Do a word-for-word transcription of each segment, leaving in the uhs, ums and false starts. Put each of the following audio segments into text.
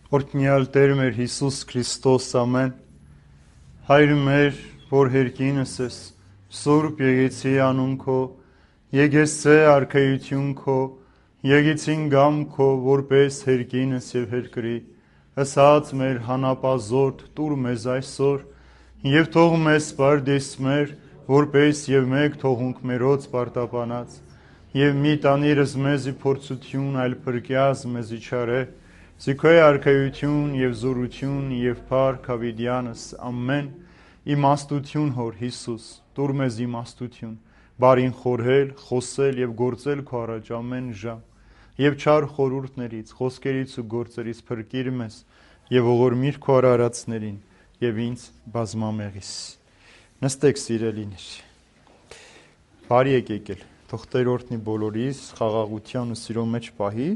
Օրհնյալ Տեր մեր Հիսուս Քրիստոս, ամեն, Հայր մեր, որ հերկինս ես, Սուրբ եկեցի անուն քո, եկեցե արքայություն քո, եկեցին գամ քո, որպես հերկինս եւ հերկրի, հսած մեր հանապազորդ տուր մեզ այսօր, եւ թող մեզ պարդես մեր, որպես եւ մեկ թողունք մերոց պարտապանած, եւ մի տանիրս մեզի փորձություն, այլ փրկյազ մեզի չարե, Զիքոյ արքայություն եւ զորություն եւ փառք հավիտյանս ամեն իմաստություն հոր Հիսուս տուր մեզ իմաստություն բարին խորհել խոսել եւ գործել քո առաջ ամեն ժամ եւ չար խորհուրդներից խոսքերից ու գործերից փրկիր մեզ եւ ողորմիր քո արարածներին եւ ինձ բազմամեղիս նստեք սիրելիներ բարի եք եկել թող Տեր օրհնի բոլորիս խաղաղության ու սիրո մեջ պահի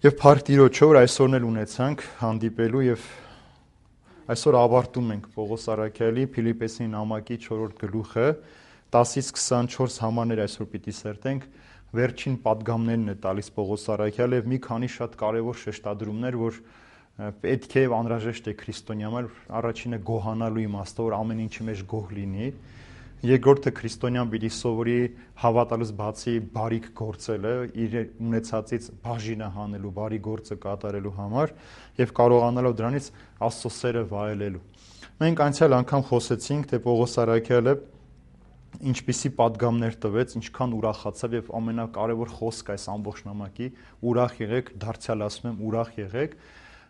Եվ փառք Տիրոջը, որ այսօրն էլ ունեցանք հանդիպելու եւ այսօր ավարտում ենք Պողոս Առաքյալի Փիլիպպեսին նամակի չորրորդ գլուխը տասից քսանչորս համարներ այսօր պիտի սերտենք վերջին պատգամներն է տալիս Պողոս Առաքյալը եւ մի քանի շատ կարեւոր շեշտադրումներ, որ պետք է եւ անհրաժեշտ է քրիստոնյաներ առաջինը գոհանալու իմաստով, որ ամեն ինչի մեջ գոհ լինի Երկրորդը քրիստոնյան պիտի սովորի հավատալուց բացի բարիք գործելը, իր ունեցածից բաժինը հանելու, բարի գործը կատարելու համար եւ կարողանալով դրանից Աստծո սերը վայելելու։ Մենք անցյալ անգամ խոսեցինք, թե Պողոս Առաքյալը ինչպիսի պատգամներ տվեց, ինչքան ուրախացավ եւ ամենակարևոր խոսքը այս ամբողջ նամակի՝ ուրախ եղեք, դարձյալ ասում եմ, ուրախ եղեք։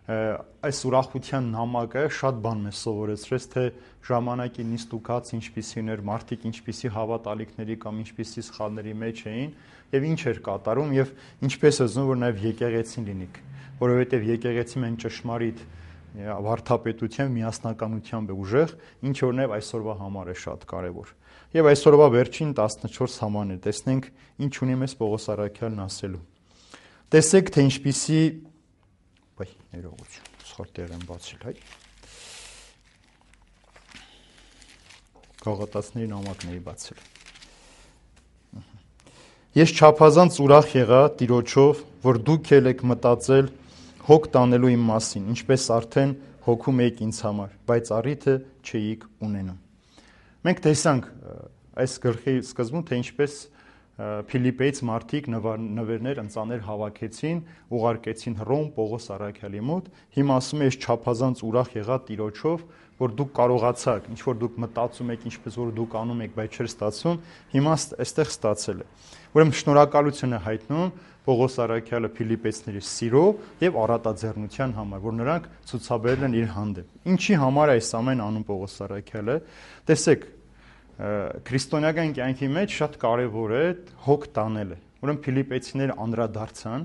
Այս ուրախության նամակը շատ բան մեզ սովորեցրեց, թե ժամանակի նիստուկած ինչպիսին էր, մարդիկ ինչպիսի հավատալիքների կամ ինչպիսի սխալների մեջ էին եւ ինչ էր կատարում եւ ինչպես է զգում, որ նաեւ եկեղեցին լինիք, որովհետեւ եկեղեցին են ճշմարիտ վարդապետությամբ, միասնականությամբ է ուժեղ, ինչ որ նաեւ այսօրվա համար է շատ կարեւոր։ Եվ այսօրվա վերջին տասնչորս համարներ տեսնենք ինչ ունի մեզ Պողոս Առաքյալն ասելու։ Տեսեք, թե ինչպիսի Բայ, ներողություն, սխալ տեղ եմ բացել, հայ։ Գաղատացների նամակների բացել։ Ես չափազանց ուրախ եղա Տիրոջով, որ դուք ել եք մտածել հոգ տանելու իմ մասին, ինչպես արդեն հոգում եք ինձ համար, բայց առիթը չէիք ունենում։ Մենք տեսանք այս գլխի սկզբում, թե ինչպես Փիլիպպեից մարդիկ նվերներ ընծաներ հավաքեցին, ուղարկեցին Հռոմ Պողոս Առաքյալի մոտ։ Հիմա ասում է, ես չափազանց ուրախ եղա Տիրոջով, որ դուք կարողացաք, ինչ որ դուք մտածում եք, ինչպես որ դուք անում եք, բայց չէր ստացվում, հիմա այստեղ ստացել է։ Ուրեմն շնորհակալություն է հայտնում Պողոս Առաքյալը Փիլիպպեցիների սիրո եւ առատաձեռնության համար, որ նրանք ցուցաբերել են իր հանդեպ։ Ինչի համար է այս ամեն անում Պողոս Առաքյալը։ Տեսեք, քրիստոնեական կյանքի մեջ շատ կարևոր է հոգ տանելը։ Ուրեմն Փիլիպպեցիները անդրադարձան,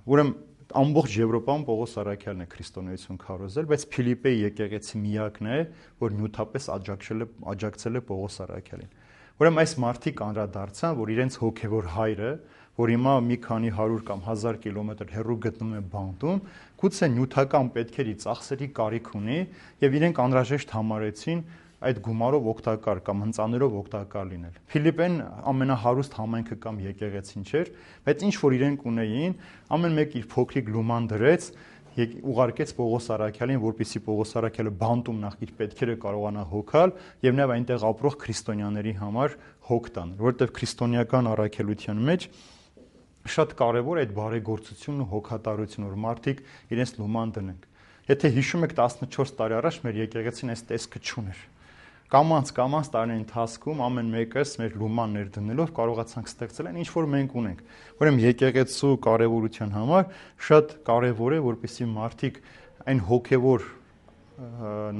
ուրեմն ամբողջ Եվրոպայում Պողոս Առաքյալն է քրիստոնեություն քարոզել, բայց Փիլիպպեի եկեղեցի միակն է, որ նյութապես աջակցել է աջակցել է Պողոս Առաքյալին։ Ուրեմն այս մարդիկ անդրադարձան, որ իրենց հոգևոր հայրը, որ հիմա մի քանի հարյուր կամ հազար կիլոմետր հեռու գտնվում է բանտում, գուցե նյութական պետքերի ծախսերի կարիք ունի եւ իրենք անհրաժեշտ համարեցին այդ գումարով օգտակար կամ հնծաներով օգտակար լինել։ Փիլիպպեն ամենահարուստ համայնքը կամ եկեղեցին չէր, բայց ինչ որ իրենք ունեին, ամեն մեկ իր փոքրիկ լուման դրեց, ուղարկեց Պողոս Առաքյալին, որպեսզի Պողոս Առաքյալը բանտում նախ իր պետքերը կարողանա հոգալ եւ նաեւ այնտեղ ապրող քրիստոնյաների համար հոգ տանել, որովհետեւ քրիստոնեական առաքելության մեջ շատ կարեւոր է այդ բարեգործությունն ու հոգատարությունը, որ մարդիկ իրենց լուման դնեն։ Եթե հիշում եք տասնչորս տարի առաջ մեր եկեղեցին այս տեսքը չուներ։ Կամանց կամանց տարիների ընթացքում ամեն մեկս մեր լուման ներդնելով կարողացանք ստեղծել այն ինչ որ մենք ունենք։ Ուրեմն եկեղեցու կարևորության համար շատ կարևոր է, որպեսզի մարդիկ այն հոգևոր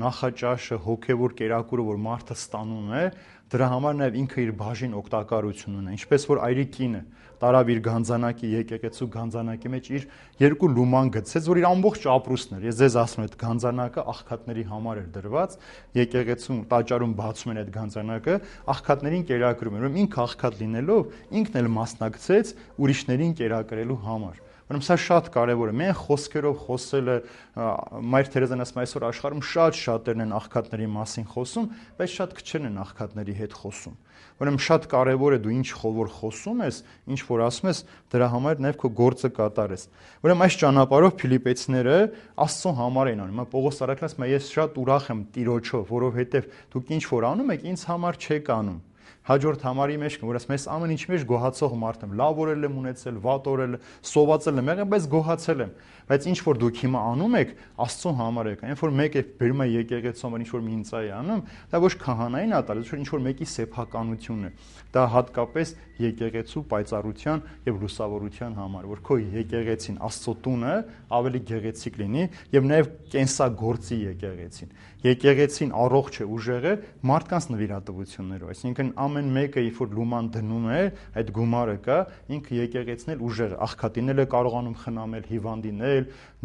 նախաճաշը, հոգևոր կերակուրը, որ մարդը ստանում է, դրա համար նաև ինքը իր բաժին օգտակարություն ունի, ինչպես որ այրիկինը տարավ իր գանձանակի եկեղեցու գանձանակի մեջ իր երկու լուման գցեց, որ իր ամբողջ ապրուստն էր։ Ես ձեզ ասում եմ, այդ գանձանակը աղքատների համար էր դրված, եկեղեցու տաճարում բացում են այդ գանձանակը, աղքատներին կերակրում են։ Ուրեմն ինքը աղքատ լինելով, ինքն էլ մասնակցեց ուրիշներին կերակրելու համար։ Ուրեմն սա շատ կարևոր է։ Մենք խոսքերով խոսելը Մայր Թերեզան ասում է այսօր աշխարհում շատ շատերն են աղքատների մասին խոսում, բայց շատ քչերն են աղքատների հետ խոսում։ Ուրեմն շատ կարևոր է դու ինչ որ խոսում ես, ինչ որ ասում ես, դրա համար նաև քո գործը կատարես։ Ուրեմն այս ճանապարհով Փիլիպեցիները Աստծո համար են անում։ Պողոս առաքյալն ասում է ես շատ ուրախ եմ Տիրոջով, որովհետև դուք ինչ որ անում եք, ինձ համար չեք անում։ Հաջորդ համարի մեջ որ ասում ես ամեն ինչ մեջ գոհացող մարդ եմ, լավ օրել եմ ունեցել, վատ օրել, սովածել եմ եղել, բայց գոհացել եմ։ Բայց ինչ որ դուք հիմա անում եք, Աստծո համար եք։ Այն որ մեկը բերում է եկեղեցում, ինչ որ մի ինձ է անում, դա ոչ քահանային է տալիս, ոչ ինչ որ մեկի սեփականությունն է։ Դա հատկապես եկեղեցու պայծառության եւ լուսավորության համար, որ քո եկեղեցին, Աստծո տունը ավելի գեղեցիկ լինի եւ նաեւ կենսագործի եկեղեցին։ Եկեղեցին առողջ է, ուժեղ է մարդկանց նվիրատվություններով, այսինքն ամեն մեկը երբ որ լուման դնում է, այդ գումարը կա, ինքը եկեղեցին էլ ուժեղ է, աղքատին էլ է կարողանում խնամել, հիվանդինել,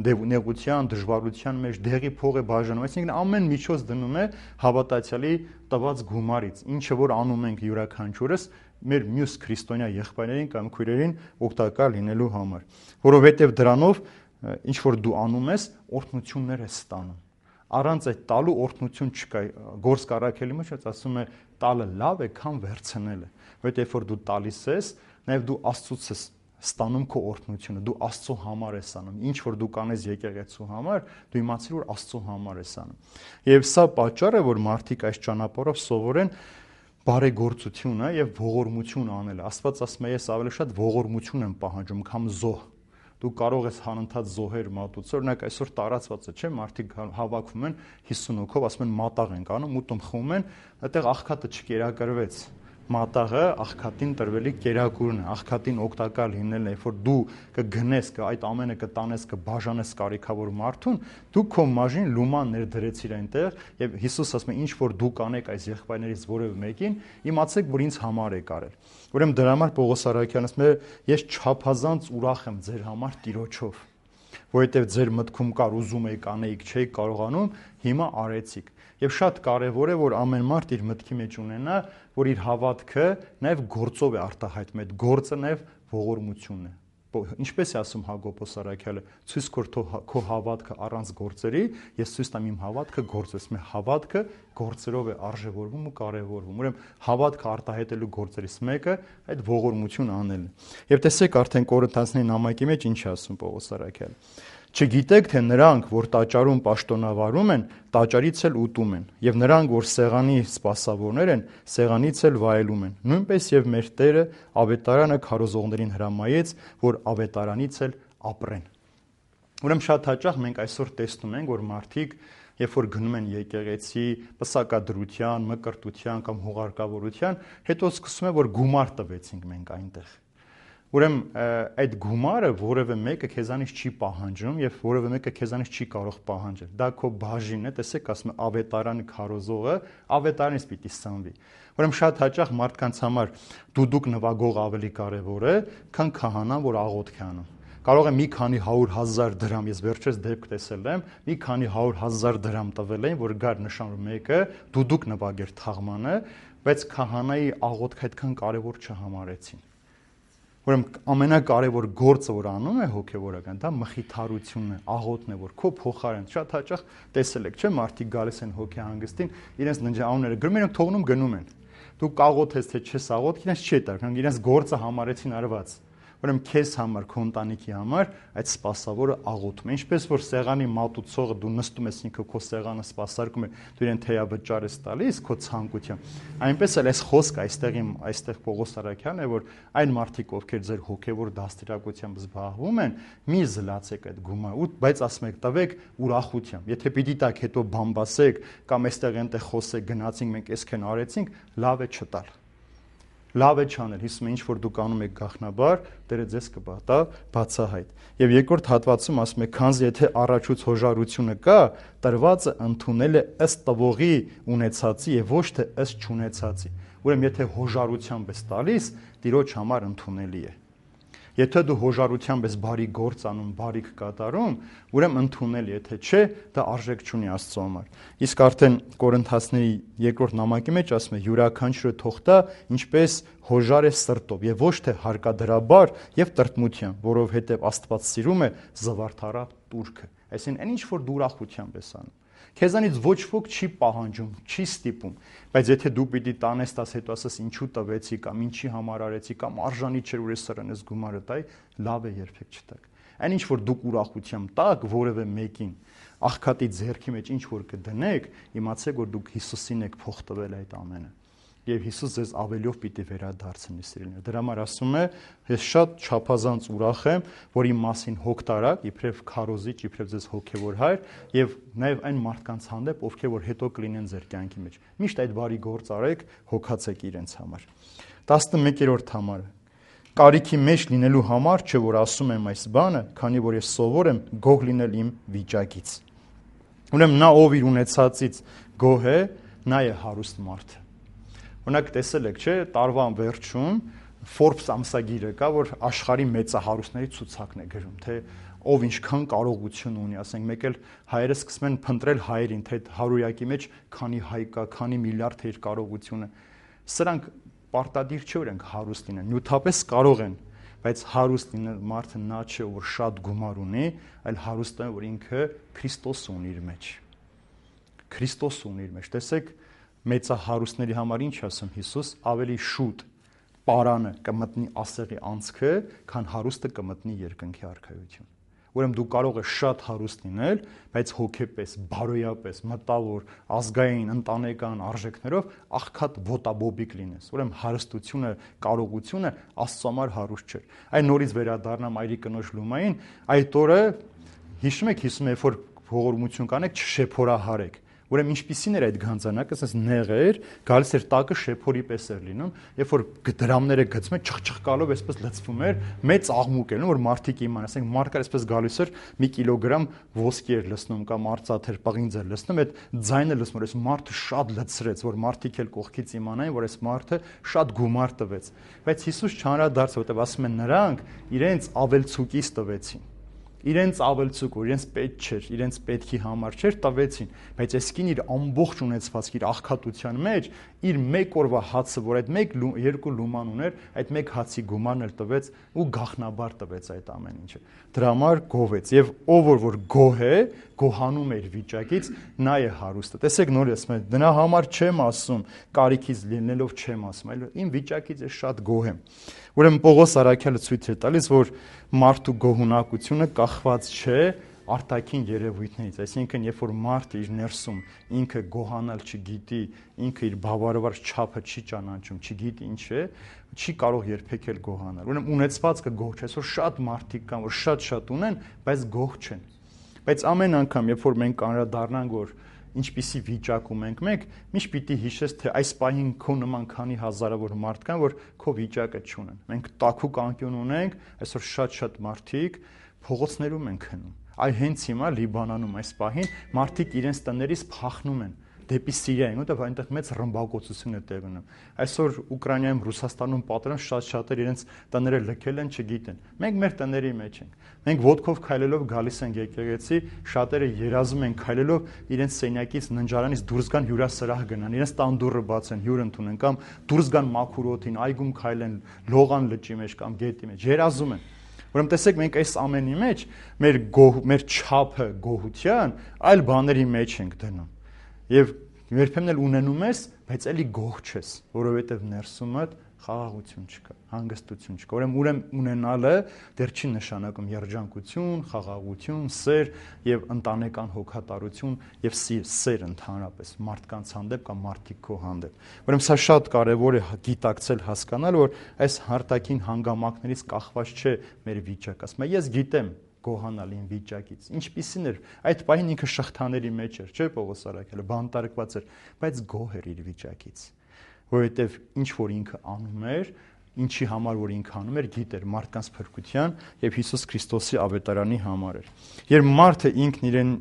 նեղության, դժվարության մեջ դեղի փող է բաժանում, այսինքն ամեն միջոց դնում է հավատացյալի տված գումարից, ինչը որ անում ենք յուրաքանչյուրս մեր մյուս քրիստոնյա եղբայրներին կամ քույրերին օգտակար լինելու համար, որովհետև դրանով ինչ որ դու անում ես, օրհնություններ ես ստանում։ Առանց այդ տալու օրհնություն չկա։ Գործ Կարաքելի մեջ ասում է տալը լավ է, քան վերցնելը, որովհետև որ դու տալիս ես, նաև դու Աստծուց ես ստանում քո օրհնությունը, դու Աստծո համար ես անում։ Ինչ որ դու կանես եկեղեցու համար, դու իմացիր որ Աստծո համար ես անում։ Եվ սա պատճառը, որ մարդիկ այս ճանապարհով սովորեն բարեգործությունը եւ ողորմություն անելը։ Աստված ասում է ես ավելի շատ ողորմություն եմ պահանջում, քան զոհ։ Դու կարող ես հանընթաց զոհեր մատուցել, օրինակ այսօր տարածված է, չէ՞, մարդիկ հավաքվում են հիսուն հոգով, ասում են մատաղ ենք անում, ուտում խմում են, այդտեղ աղքատը չկերակրվեց։ Մատաղը աղքատին տրվելի կերակուրն է, աղքատին օգտակար լինելն է, երբ որ դու կգնես, այդ ամենը կտանես, կբաժանես կարիքավոր մարդուն, դու քո մաժին լուման ներդրեցիր այնտեղ, եւ Հիսուս ասում է ինչ որ դու կանեք այս եղբայրներից որևէ մեկին, իմացեք, որ ինձ համար եք արել։ Ուրեմն դրա համար Պողոս առաքյալն ասում է ես չափազանց ուրախ եմ ձեր համար Տիրոջով, որովհետև ձեր մտքում կար ուզում եք անեիք, չէիք կարողանում, հիմա արեցիք։ Եվ շատ կարևոր է, որ ամեն մարդ իր մտքի մեջ ունենա, որ իր հավատքը նաև գործով է արտահայտում, այդ գործը նաև ողորմությունն է։ Ինչպես է ասում Հակոբոս առաքյալը, ցույց կոր քո հավատքը առանց գործերի, ես ցույց տամ իմ հավատքը գործով, մեր հավատքը գործերով է արժևորվում ու կարևորվում։ Ուրեմն հավատքը արտահայտելու գործերից մեկը այդ ողորմություն անելն է։ Եվ տեսեք արդեն Կորինթացիների նամակի մեջ ինչ է ասում Պողոս առաքյալը։ Չգիտեք, թե նրանք, որ տաճարում պաշտոնավարում են, տաճարից էլ ուտում են, եւ նրանք, որ սեղանի սպասավորներ են, սեղանից էլ վայելում են։ Նույնպես եւ մեր Տերը ավետարանը քարոզողներին հրամայեց, որ ավետարանից էլ ապրեն։ Ուրեմն շատ հաճախ մենք այսօր տեսնում ենք, որ մարդիկ, երբ որ գնում են եկեղեցի, պսակադրության, մկրտության կամ հուղարկավորության, հետո սկսում է, որ գումար տվեցինք մենք այնտեղ։ Ուրեմն այդ գումարը որևէ մեկը քեզանից չի պահանջում եւ որևէ մեկը քեզանից չի կարող պահանջել։ Դա քո բաժինն է, տեսեք, ասում է ավետարանը քարոզողը, ավետարանից պիտի սնվի։ Ուրեմն շատ հաճախ մարդկանց համար դուդուկ նվագող ավելի կարեւոր է, քան քահանան, որ աղոթք է անում։ Կարող է մի քանի հարյուր հազար դրամ, ես վերջերս դեպք տեսել եմ, մի քանի հարյուր հազար դրամ տվել էին, որ գար նշան մեկը դուդուկ նվագեր թաղմանը, բայց քահանայի աղոթքը այդքան կարեւոր չհամարեցին։ Ուրեմն ամենակարևոր գործը, որ անում է հոգևորական, դա մխիթարությունն է, աղոթն է, որ քո փոխարեն շատ հաճախ տեսել եք, չէ՞, մարդիկ գալիս են հոգեհանգստին, իրենց ննջաունները գրում են, թողնում գնում են։ Դու կաղոթես թե չես աղոթ, իրենց չի տար, քան իրենց գործը համարեցին արված։ Ուրեմն քեզ համար, քո ընտանիքի համար այդ սպասավորը աղոթում է։ Ինչպես որ սեղանի մատուցողը դու նստում ես ինքը քո սեղանը սպասարկում է, դու իրեն թեյավճար ես տալիս քո ցանկությամբ։ Այնպես էլ այս խոսքը այստեղի այստեղ Պողոս առաքյալն է, որ այն մարդիկ, ովքեր ձեր հոգևոր դաստիարակությամբ զբաղվում են, մի զլացեք այդ գումարը, բայց ասում եք տվեք ուրախությամբ։ Եթե պիտի տակ հետո բամբասեք կամ այստեղ այնտեղ խոսեք, գնացինք մենք այսքան արեցինք, լավ է չտալ։ Լավ է չանել, հիսում է ինչ որ դուք անում եք գաղտնաբար, Տերը ձեզ կպատա բացահայտ։ Եվ երկրորդ հատվածում ասում է, քանզի եթե առաջուց հոժարությունը կա, տրվածը ընդունել է ըստ տվողի ունեցածի եւ ոչ թե ըստ չունեցածի։ Ուրեմն եթե հոժարությամբ ես տալիս, Տիրոջ համար ընդունելի է։ Եթե դու հոժարությամբ ես բարի գործ անում, բարիք կատարում, ուրեմն ընդունել, եթե չէ, դա արժեք չունի Աստծո համար։ Իսկ արդեն Կորինթացների երկրորդ նամակի մեջ ասում է. յուրաքանչյուրը թող տա ինչպես հոժար է սրտով եւ ոչ թե հարկադրաբար եւ տրտմությամբ, որովհետեւ Աստված սիրում է զվարթառատ տուրքը։ Այսինքն, այն ինչ որ դու ուրախությամբ ես անում, քեզանից ոչ ոք չի պահանջում, չի ստիպում, բայց եթե դու պիտի տանես, տաս հետո ասես ինչու տվեցի կամ ինչի համար արեցի կամ արժանի չէր որ ես սրան ես գումարը տայի, լավ է երբեք չտաք։ Այն ինչ որ դուք ուրախությամբ տաք որևէ մեկին, աղքատի ձեռքի մեջ ինչ որ կդնեք, իմացեք որ դուք Հիսուսին եք փոխ տվել այդ ամենը։ Եվ Հիսուս ձեզ ավելիով պիտի վերադարձնի սիրելիներ։ Դրա համար ասում է, ես շատ չափազանց ուրախ եմ, որ իմ մասին հոգ տարաք, իբրև քարոզիչ, իբրև ձեզ հոգևոր հայր, եւ նաեւ այն մարդկանց հանդեպ, ովքեր որ հետո կլինեն ձեր կյանքի մեջ։ Միշտ այդ բարի գործ արեք, հոգացեք իրենց համար։ տասնմեկերորդ համարը։ Կարիքի մեջ լինելու համար չէ որ ասում եմ այս բանը, քանի որ ես սովոր եմ գոհ լինել իմ վիճակից։ Ուրեմն նա ով իր ունեցածից գոհ է, նա է հարուստ մարդը։ Օրինակ տեսել եք, չէ, տարվա վերջում Forbes ամսագիրը կա, որ աշխարհի մեծահարուստների ցուցակն է գրում, թե ով ինչքան կարողություն ունի, ասենք մեկ էլ հայերը սկսում են փնտրել հայերին, թե հարյուրյակի մեջ քանի հայ կա, քանի միլիարդ է իր կարողությունը։ Սրանք պարտադիր չէ որ ենք հարուստ լինեն, նյութապես կարող են, բայց հարուստ լինել մարդը նա չէ, որ շատ գումար ունի, այլ հարուստը որ ինքը Քրիստոս ունի իր մեջ։ Քրիստոս ունի իր մեջ։ Տեսեք, մեծահարուստների համար ինչ ասում Հիսուս, ավելի շուտ պարանը կմտնի ասեղի անցքը, քան հարուստը կմտնի երկնքի արքայություն։ Ուրեմն դու կարող ես շատ հարուստ լինել, բայց հոգեպես, բարոյապես, մտավոր, ազգային, ընտանեկան արժեքներով աղքատ ոտաբոբիկ լինես։ Ուրեմն հարստությունը, կարողությունը Աստծո համար հարուստ չէ։ Այն նորից վերադառնամ այրի կնոջ լումային, այդ օրը հիշում եք, հիշում եք, որ ողորմություն կանեք, չշեփորահարեք։ Ուրեմն ինչպիսին էր այդ գանձանակը, ասես նեղ էր, գալիս էր տակը շեփորի պես էր լինում, երբ որ դրամները գցում էր, չխչխկալով այսպես լցվում էր, մեծ աղմուկ էր, որ մարդիկ իման, ասենք մարդկա այսպես գալիս էր մի կիլոգրամ ոսկի էր լցնում կամ արծաթ էր, պղինձ էր լցնում, այդ ձայնը լցնում էր, այս մարդը շատ լցրեց, որ մարդիկ էլ կողքից իմանային, որ այս մարդը շատ գումար տվեց։ Բայց Հիսուս չանդրադարձ, որտեղ ասում են նրանք իրենց ավելցուկից տվեցին։ Իրենց ավելցուկ, որ իրենց պետք չէր, իրենց պետքի համար չէր, տվեցին, բայց այս կին իր ամբողջ ունեցվածքի, իր աղքատության մեջ, իր մեկ օրվա հացը, որ այդ մեկ երկու լուման ուներ, այդ մեկ հացի գումարն էլ տվեց ու գախնաբար տվեց այդ ամեն ինչը։ Դրա համար գովեց, եւ ով որ գոհ է, գոհանում է իր վիճակից, նա է հարուստը։ Տեսեք նորից, դրա համար չեմ ասում, կարիքից լինելով չեմ ասում, այլ իմ վիճակից ես շատ գոհ եմ։ Ուրեմն Պողոս Արաքյալը ցույց է տալիս, որ մարդու գոհունակությունը կախված չէ արտաքին երևույթներից, այսինքն երբ որ մարդը իր ներսում ինքը գոհանալ չգիտի, ինքը իր բավարար չափը չի ճանաչում, չգիտի ինչ է, չի կարող երբեք էլ գոհանալ։ Ուրեմն ունեցվածքը գոհ չէ, այսօր շատ մարդիկ կան, որ շատ-շատ ունեն, բայց գոհ չեն։ Բայց ամեն անգամ, երբ որ մենք անդրադառնանք, որ ինչպիսի վիճակում ենք մենք, միշտ պիտի հիշես, թե այս պահին քո նման քանի հազարավոր մարդ կան, որ քո վիճակը չունեն։ Մենք տաքուկ անկյուն ունենք, այսօր շատ-շատ մարդիկ փողոցներում են քնում։ Այ հենց հիմա Լիբանանում այս պահին մարդիկ իրենց տներից փախնում են դեպի Սիրիա, որտեղ այնտեղ մեծ ռմբակոծություն է տեղի ունենում։ Այսօր Ուկրաինայում, Ռուսաստանում պատերազմ շատ-շատեր իրենց տները լքել են, չգիտեն։ Մենք մեր տների մեջ ենք։ Մենք ոտքով քայլելով գալիս ենք եկեղեցի, շատերը երազում են քայլելով իրենց սենյակից, ննջարանից դուրս գան հյուրասրահ գնան, իրենց տան դուռը բացեն, հյուր ընդունեն կամ դուրս գան մաքուր օդին, այգում քայլեն, լողան լճի մեջ կամ գետի մեջ, երազում են։ Ուրեմն տեսեք, մենք այս ամենի մեջ մեր գոհ, մեր չափը գոհության այլ բաների մեջ ենք դնում։ Եվ երբեմն էլ ունենում ես, բայց էլի գոհ չես, որովհետև ներսումդ խաղաղություն չկա, հանգստություն չկա։ Ուրեմն ուրեմն ունենալը դեռ չի նշանակում երջանկություն, խաղաղություն, սեր եւ ընտանեկան հոգատարություն եւ սեր ընդհանրապես մարդկանց հանդեպ կամ մարդիկ քո հանդեպ։ Ուրեմն սա շատ կարեւոր է գիտակցել, հասկանալ, որ այս հարտակին հանգամանքներից կախված չէ մեր վիճակը։ Ասում եմ, ես գիտեմ գոհանալ իմ վիճակից։ Ինչպիսին էր, այդ պահին ինքը շղթաների մեջ էր, չէ՞ Պողոս Արաքյալը, բանտարկված էր, բայց գոհ էր իր վիճակից, որովհետև ինչ որ ինքը անում էր, ինչի համար որ ինքը անում էր, գիտեր մարդկանց փրկության եւ Հիսուս Քրիստոսի ավետարանի համար էր։ Երբ մարդը ինքն իրեն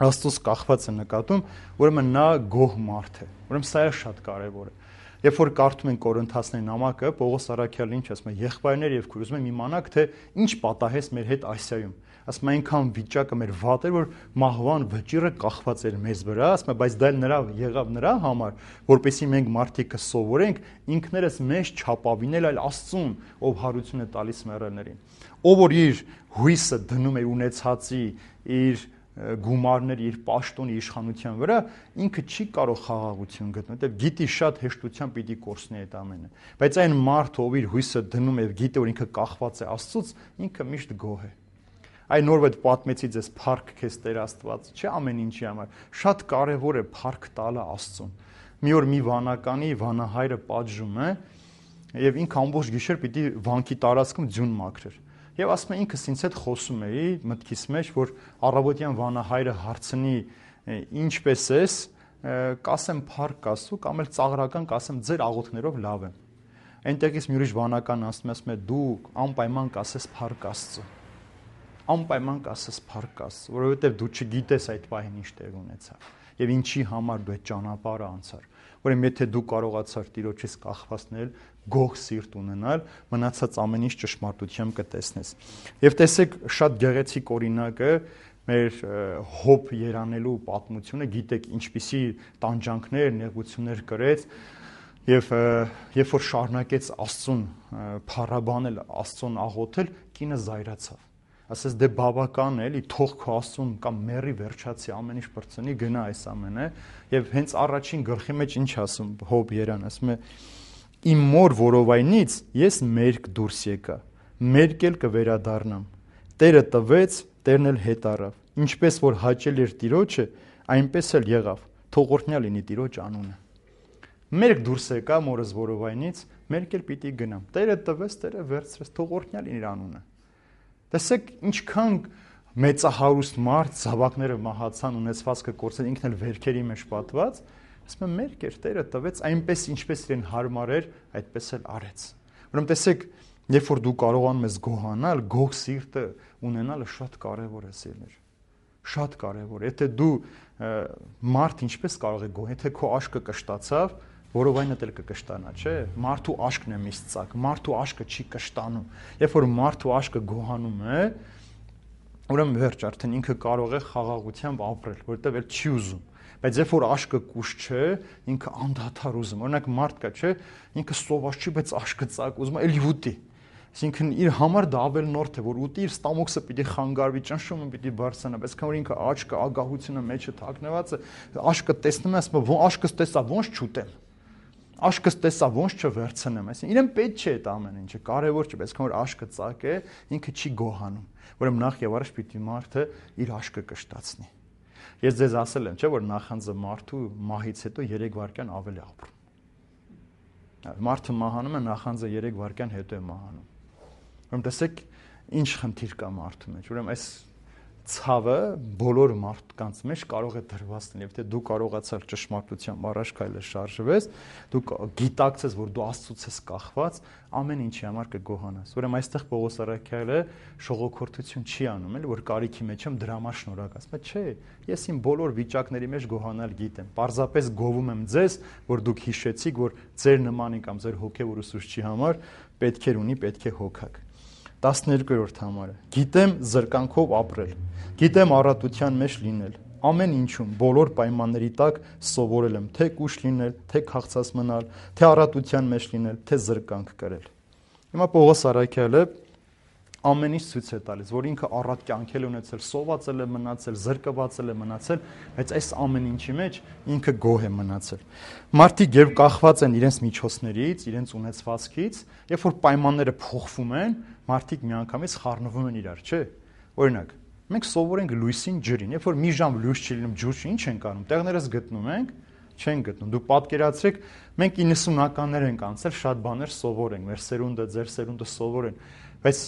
Աստծոց կախված է նկատում, ուրեմն նա գոհ մարդ է։ Ուրեմն սա է շատ կարեւոր է։ Երբ որ կարդում ենք Կորինթացների նամակը, Պողոս առաքյալն ինչ ասում է, եղբայրներ եւ քույր, ուզում եմ իմանաք, թե ինչ պատահեց մեր հետ Ասիայում։ Ասում է, այնքան վիճակը մեր վատ էր, որ մահվան վճիռը կախված էր մեզ վրա, ասում է, բայց դա նրա եղավ նրա համար, որպեսզի մենք մարդիկը սովորենք ինքներս մեզ չապավինել, այլ Աստծուն, ով հարություն է տալիս մեռելներին։ Ով որ իր հույսը դնում է ունեցածի, իր գումարների, իր պաշտոնի իշխանության վրա, ինքը չի կարող խաղաղություն գտնել, որտեղ գիտի շատ հեշտությամբ պիտի կորցնի այդ ամենը։ Բայց այն մարդը, ով իր հույսը դնում է եւ գիտի, որ ինքը կախված է Աստծուց, ինքը միշտ գոհ է։ Այն նոր այդ պատմեցի ձեզ փառք քեզ Տեր Աստված, չէ՞ ամեն ինչի համար։ Շատ կարևոր է փառք տալը Աստծուն։ Մի օր մի վանականի վանահայրը պատժում է եւ ինքը ամբողջ գիշեր պիտի վանքի տարածքում ձյուն մաքրեր։ Եվ ասում է ինքս ինձ հետ խոսում էի մտքիս մեջ, որ առավոտյան վանահայրը հարցնի ինչպես ես, կասեմ փառք Աստծո կամ էլ ծաղրական կասեմ ձեր աղոթքներով լավ եմ։ Այնտեղից մի ուրիշ վանական ասում է դու անպայման կասես փառք Աստծո։ Անպայման կասես փառք Աստծո, որովհետև դու չգիտես այդ պահին ինչ տեղ ունեցավ եւ ինչի համար դու այդ ճանապարհը անցար։ Ուրեմն եթե դու կարողացար Տիրոջից կախվածնել, գող սիրտ ունենալ, մնացած ամեն ինչ ճշմարտությամբ կտեսնես։ Եվ տեսեք շատ գեղեցիկ օրինակը մեր Հոբ երանելու պատմությունը, գիտեք ինչպիսի տանջանքներ, նեղություններ կրեց եւ երբ որ շարունակեց Աստծուն փառաբանել, Աստծուն աղոթել, կինը զայրացավ։ Ասես դե բավական է, էլի թող քո Աստծուն կամ մերի վերջացի ամեն ինչ բրցնի, գնա այս ամենը, եւ հենց առաջին գլխի մեջ ինչ ասում Հոբ երան, ասում է իմ մոր որովայնից ես մերկ դուրս եկա, մերկ էլ կվերադառնամ։ Տերը տվեց, Տերն էլ հետ առավ։ Ինչպես որ հաճել էր Տիրոջը, այնպես էլ եղավ։ Թող օրհնյալ լինի Տիրոջ անունը։ Մերկ դուրս եկա մորս որովայնից, մերկ էլ պիտի գնամ։ Տերը տվեց, Տերը վերցրեց, թող օրհնյալ լինի իր անունը։ Տեսեք ինչքան մեծահարուստ մարդ, զավակները մահացան, ունեցվածքը կորցրել, ինքն էլ վերքերի մեջ պատված, ասում եմ մերկ էր, Տերը տվեց, այնպես ինչպես իրեն հարմար էր, այդպես էլ արեց։ Ուրեմն տեսեք, երբ որ դու կարողանում ես գոհանալ, գող սիրտը ունենալը շատ կարևոր է սիրներ։ Շատ կարևոր։ Եթե դու մարդ ինչպես կարող է գոհ, եթե քո աշկը կշտացավ, որովայնը էլ կկշտանա, չէ՞։ Մարդու աշկն է միշտ ծակ, մարդու աշկը չի կշտանում։ Երբ որ մարդու աշկը գոհանում է, ուրեմն վերջ արդեն ինքը կարող է խաղաղությամբ ապրել, որովհետև էլ չի ուզում։ Բայց երբ որ աշկը կուշ չէ, ինքը անդադար ուզում։ Օրինակ մարդ կա, չէ՞, ինքը սոված չի, բայց աշկը ծակ, ուզում է էլի ուտի։ Այսինքն իր համար դա ավելնորդ է, որ ուտի իր ստամոքսը պիտի խանգարվի, ճնշումը պիտի բարձրանա, բայց քան որ ինքը աչքը ագահությունը մեջը թաքնված է, աշկը տեսնում է, ասում է, աշկս տեսա, ոնց չուտեմ։ Աշկս տեսա, ոնց չվերցնեմ, այսինքն իրեն պետք չէ այդ ամեն ինչը, կարևոր չէ, բայց քան որ աշկը ծակ է, ինքը չի գոհանում։ Ուրեմն նախ եւ առաջ պիտի մարդը իր աշկը կշտացնի։ Ես ձեզ ասել եմ, չէ՞ որ նախանձը մարդու մահից հետո երեք վայրկյան ավելի ապրում։ Մարդը մահանում է, նախանձը երեք վայրկյան հետո է մահանում։ Ուրեմն տեսեք ինչ խնդիր կա մարդու մեջ։ Ուրեմն այս ցավը բոլոր մարդկանց մեջ կարող է դրված լինել, եթե դու կարողացար ճշմարտությամբ առաջ քայլել շարժվես, դու գիտակցես, որ դու Աստծուց ես կախված, ամեն ինչի համար կգոհանաս։ Ուրեմն այստեղ Պողոս առաքյալը շողոքորթություն չի անում, էլ որ կարիքի մեջ եմ դրա համար շնորհակ ասում է, չէ, ես իմ բոլոր վիճակների մեջ գոհանալ գիտեմ։ Պարզապես գովում եմ ձեզ, որ դուք հիշեցիք, որ ձեր նմանի կամ ձեր հոգևոր ուսուցչի համար պետքեր ունի, պետք է հոգաք։ տասներկերորդ համարը գիտեմ զրկանքով ապրել, գիտեմ առատության մեջ լինել, ամեն ինչում, բոլոր պայմանների տակ սովորել եմ, թե կուշ լինել, թե քաղցած մնալ, թե առատության մեջ լինել, թե զրկանք կրել։ Հիմա Պողոս առաքյալը ամեն ինչ ցույց է տալիս, որ ինքը առատ կյանք է ունեցել, սովածել է մնացել, զրկվածել է մնացել, բայց այս ամեն ինչի մեջ ինքը գոհ է մնացել։ Մարդիկ երբ կախված են իրենց միջոցներից, իրենց ունեցվածքից, երբ որ պայմանները փոխվում են, մարդիկ միանգամից խառնվում են իրար, չէ՞։ Օրինակ, մենք սովորենք լույսին ջրին, երբ որ մի ժամ լույս չի լինում, ջուր չի, ինչ ենք անում, տեղներս գտնում ենք, չեն գտնում։ Դու պատկերացրեք, մենք իննսունականներ ենք անցել, շատ բաներ սովորենք, մեր սերունդը, ձեր սերունդը սովորեն, բայց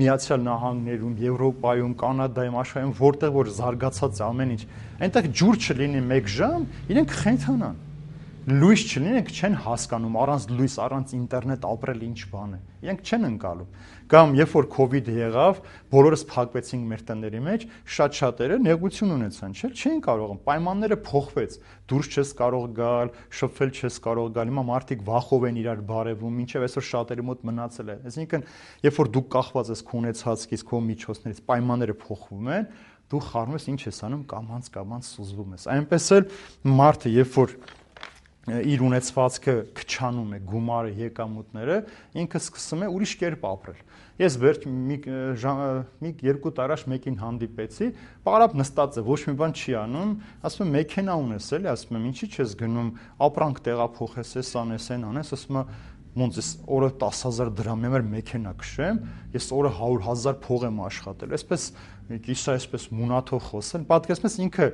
Միացյալ Նահանգներում, Եվրոպայում, Կանադայում, աշխարհում որտեղ որ զարգացած է ամեն ինչ, այնտեղ ջուր չլինի մեկ ժամ, իրենք խենթանան։ լույս չլինի, իրենք չեն հասկանում առանց լույս, առանց ինտերնետ ապրել ինչ բան է։ Իրենք չեն ընկալում։ Կամ երբ որ COVID եղավ, բոլորս փակվեցինք մեր տների մեջ, շատ շատերը նեղություն ունեցան, չէ՞, չէին կարող, պայմանները փոխվեց։ Դուրս չես կարող գալ, շփվել չես կարող գալ, հիմա մարդիկ վախով են իրար բարևում, մինչև այսօր շատերի մոտ մնացել է։ Այսինքն, երբ որ դու կախված ես քո ունեցածից, քո միջոցներից, պայմանները փոխվում են, դու խառնում ես, ինչ ես անում, կամանց-կամանց սուզվում ես։ Այնպես էլ մարդը, երբ որ իր ունեցվածքը քչանում է, գումարը, եկամուտները, ինքը սկսում է ուրիշ կերպ ապրել։ Ես վերջ մի մի երկու տարի առաջ մեկին հանդիպեցի, պարապ նստած է, ոչ մի բան չի անում, ասում եմ մեքենա ունես էլի, ասում եմ ինչի՞ չես գնում, ապրանք տեղափոխես, էս անես, այն անես, ասում եմ ոնց էս օրը տասը հազար դրամի համար մեքենա քշեմ, ես օրը հարյուր հազար փող եմ աշխատել, այսպես կիսա այսպես մունաթով խոսել, պատկերացնում ես ինքը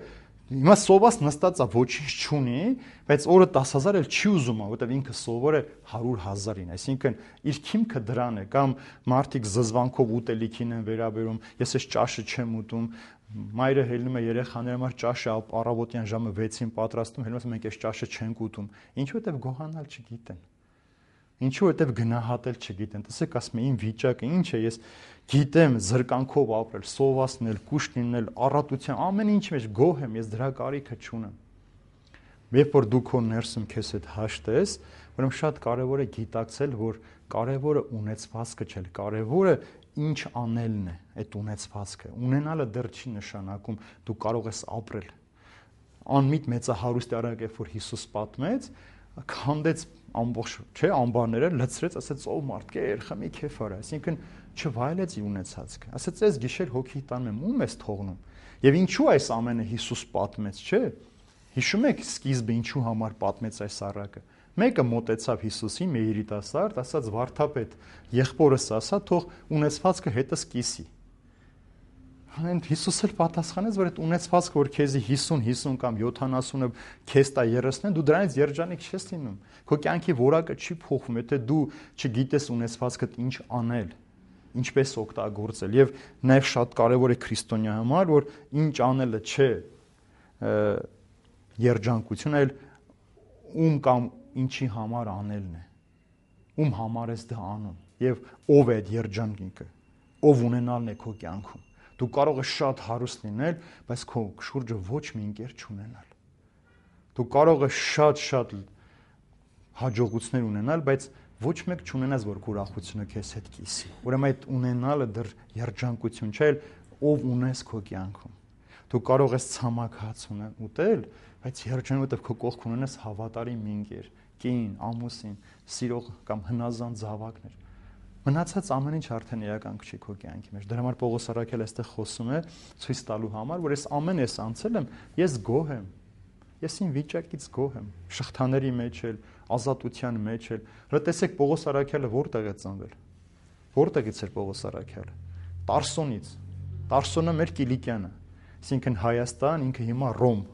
հիմա սոված նստած է, ոչինչ չունի, բայց օրը տասը հազար էլ չի ուզում, որովհետև ինքը սովոր է հարյուր հազարին, այսինքն իր քիմքը դրան է, կամ մարդիկ զզվանքով ուտելիքին են վերաբերում, ես այս ճաշը չեմ ուտում, մայրը հելնում է երեխաների համար ճաշը առավոտյան ժամը վեցին պատրաստում, հելնում է մենք այս ճաշը չենք ուտում, ինչու՞ որովհետև գոհանալ չգիտեն։ Ինչու որովհետև գնահատել չգիտեն։ Տեսեք, ասում եմ, իմ վիճակը ինչ է, ես գիտեմ զրկանքով ապրել, սովածնել, կուշտ լինել, առատության, ամեն ինչի մեջ գոհ եմ, ես դրա կարիքը չունեմ։ Երբ որ դու քո ներսում քեզ հետ հաշտես, ուրեմն շատ կարևոր է գիտակցել, որ կարևորը ունեցվածքը չէ, կարևորը ինչ անելն է, այդ ունեցվածքը։ Ունենալը դեռ չի նշանակում դու կարող ես ապրել։ Անմիտ մեծահարուստի արագ երբ որ Հիսուս պատմեց, քանդեց ամբողջ, չէ, ամբարները լցրեց, ասեց ով մարդ կեր, խմի քեֆ արա, այսինքն չվայելեց իր ունեցածքը։ Ասեց այս գիշեր հոգի տանում եմ, ում ես թողնում։ Եվ ինչու այս ամենը Հիսուս պատմեց, չէ։ Հիշում եք սկիզբը ինչու համար պատմեց այս առակը։ Մեկը մոտեցավ Հիսուսին, մի երիտասարդ, ասաց վարդապետ, եղբորս ասա, թող ունեցվածքը հետս կիսի։ Հենց Հիսուս էլ պատասխանեց, որ այդ ունեցվածքը, որ քեզի հիսուն, հիսուն կամ յոթանասունը քեզ տա երեսնեն, դու դրանից երջանիկ չես լինում։ Քո կյանքի որակը չի փոխվում, եթե դու չգիտես ունեցվածքդ ինչ անել, ինչպես օգտագործել։ Եվ նաև շատ կարևոր է քրիստոնյա համար, որ ինչ անելը չէ երջանկություն, այլ ում կամ ինչի համար անելն է։ Ում համար ես դա անում եւ ով է այդ երջանկինքը, ով ունենալն է քո կյանքում։ Դու կարող ես շատ հարուստ լինել, բայց քո շուրջը ոչ մի ընկեր չունենալ։ Դու կարող ես շատ-շատ հաջողություններ ունենալ, բայց ոչ մեկ չունենաս, որ քո ուրախությունը քեզ հետ կիսի։ Ուրեմն այդ ունենալը դեռ երջանկություն չէ, ով ունես քո կյանքում։ Դու կարող ես ցամաք հաց ուտել, բայց երջանք, որտեղ քո կողք ունենաս հավատարիմ ընկեր, կին, ամուսին, սիրող կամ հնազանդ զավակներ։ Մնացած ամեն ինչ արդեն իրական չի քո կյանքի մեջ։ Դրա համար Պողոս առաքյալը այստեղ խոսում է ցույց տալու համար, որ ես ամեն ես անցել եմ, ես գոհ եմ։ Ես իմ վիճակից գոհ եմ, շղթաների մեջ էլ, ազատության մեջ էլ։ Հələ տեսեք Պողոս առաքյալը որտեղ է ծնվել։ Որտեղից էր Պողոս առաքյալը։ Տարսոնից։ Տարսոնը մեր Կիլիկիանը, այսինքն Հայաստան, ինքը հիմա Ռոմ։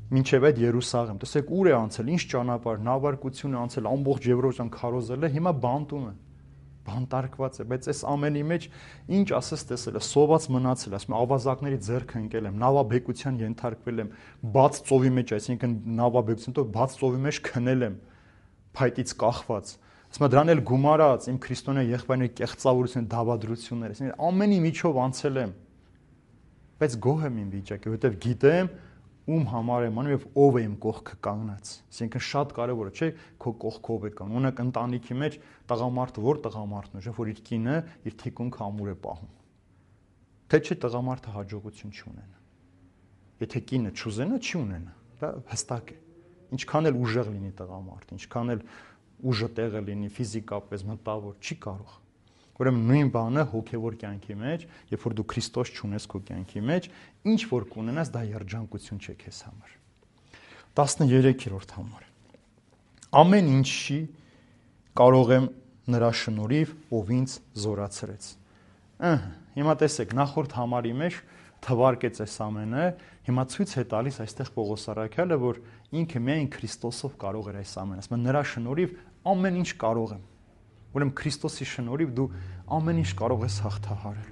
Մինչև այդ Երուսաղեմ։ Տեսեք ուր է անցել, ինչ ճանապարհ, նավարկություն է անցել, ամբողջ Եվրոպան քարոզել է, հիմա բանտում է։ Բանտարկված է, բայց այս ամենի մեջ ինչ ասես տեսել է, սոված մնացել, ասում եմ ավազակների ձեռքը ընկել եմ, նավաբեկության ենթարկվել եմ, բաց ծովի մեջ, այսինքն նավաբեկության տով բաց ծովի մեջ քնել եմ, փայտից կախված։ Ասում եմ դրան էլ գումարած, իմ քրիստոնյա եղբայրների կեղծավորություն, դավադրություններ, այսինքն ամենի միջով անցել եմ։ Բայց գոհ եմ իմ վիճակի, որովհետև գիտեմ ում համար եմ անում եւ ով է իմ կողքը կանգնած։ Այսինքն շատ կարեւոր է, չէ՞, քո կողքով է կանգնում։ Ունեք ընտանիքի մեջ տղամարդը, որ տղամարդն է, որ իր կինը իր թիկունքը ամուր է պահում։ Թե չէ տղամարդը հաջողություն չունենա։ Եթե կինը չուզենա, չի ունենա։ Դա հստակ է։ Ինչքան էլ ուժեղ լինի տղամարդը, ինչքան էլ ուժը տեղը լինի ֆիզիկապես, մտավոր, չի կարող։ Ուրեմն նույն բանը հոգևոր կյանքի մեջ, երբ որ դու Քրիստոս չունես քո կյանքի մեջ, ինչ որ կունենաս, դա երջանկություն չէ քեզ համար։ տասներեքերորդ համար։ Ամեն ինչի կարող եմ նրա շնորհիվ, ով ինձ զորացրեց։ Ահա, հիմա տեսեք, նախորդ համարի մեջ թվարկեց այս ամենը, հիմա ցույց է տալիս այստեղ Պողոս առաքյալը, որ ինքը միայն Քրիստոսով կարող էր այս ամենը, ասում է նրա շնորհիվ ամեն ինչ կարող եմ։ Ուրեմն Քրիստոսի շնորհիվ դու ամեն ինչ կարող ես հաղթահարել։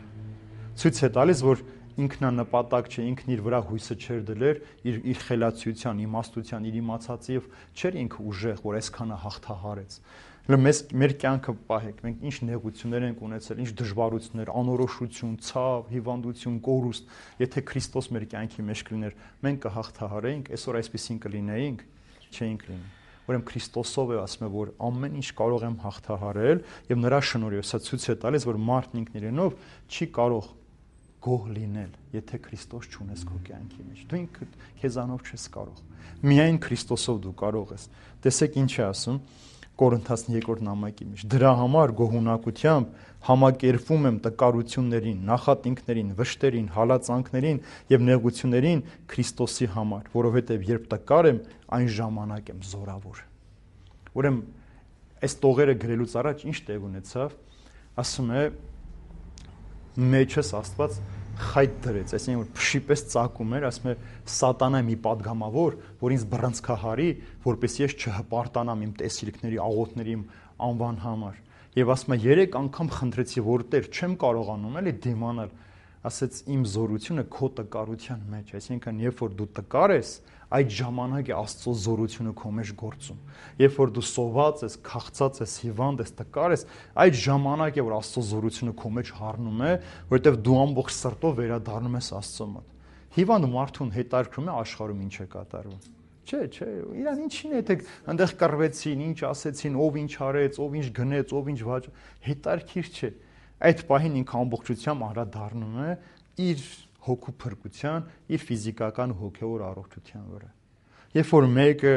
Ցույց է տալիս, որ ինքնանպատակ չէ, ինքն իր վրա հույսը չէր դներ, իր իր խելացիության, իմաստության, իր իմացածի եւ չէր ինքը ուժեղ, որ այսքանը հաղթահարեց։ Հələ մեզ մեր կյանքը պահեք, մենք ինչ նեղություններ ենք ունեցել, ինչ դժվարություններ, անորոշություն, ցավ, հիվանդություն, կորուստ, եթե Քրիստոս մեր կյանքի մեջ կլիներ, մենք կհաղթահարեինք, այսօր այսպեսին կլինեինք, չէինք լինի։ Ուրեմն Քրիստոսով է ասում է, որ ամեն ինչ կարող եմ հաղթահարել եւ նրա շնորհիվ սա ցույց է տալիս, որ մարդն ինքն իրենով չի կարող գոհ լինել, եթե Քրիստոս չունես քո կյանքի մեջ։ Դու ինքդ քեզանով չես կարող։ Միայն Քրիստոսով դու կարող ես։ Տեսեք ինչ է ասում Կորինթացին երկրորդ նամակի մեջ։ Դրա համար գոհունակությամբ համակերպվում եմ տկարություններին, նախատինքներին, վշտերին, հալածանքներին եւ նեղություններին Քրիստոսի համար, որովհետեւ երբ տկար եմ, այն ժամանակ եմ զորավոր։ Ուրեմն այս տողերը գրելուց առաջ ինչ տեղ ունեցավ, ասում է մեջս Աստված խայտ դրեց, այսինքն որ փշի պես ծակում էր, ասում է սատանա մի падգամավոր, որ ինձ բռնցքահարի, որպես ես չհպարտանամ իմ տեսիլքների, աղոթների, իմ անվան համար։ Եվ ասում է երեք անգամ խնդրեցի, որ Տեր, չեմ կարողանում էլի դիմանալ, ասեց իմ զորությունը քո տկարության մեջ, այսինքն երբ որ դու տկար ես, այդ ժամանակ է Աստծո զորությունը քո մեջ գործում։ Երբ որ դու սոված ես, քաղցած ես, հիվանդ ես, տկար ես, այդ ժամանակ է որ Աստծո զորությունը քո մեջ հառնում է, որովհետև դու ամբողջ սրտով վերադառնում ես Աստծո մոտ։ Հիվանդ մարդուն հետարքրում է աշխարհում ինչ է կատարվում։ Չէ, չէ, իրան ինչին է, թե այնտեղ կռվեցին, ինչ ասեցին, ով ինչ արեց, ով ինչ գնեց, ով ինչ վաճ, հետարքիր չէ։ Այդ պահին ինքը ամբողջությամբ անդրադառնում է իր հոգու փրկության, իր ֆիզիկական ու հոգևոր առողջության վրա։ Երբ որ մեկը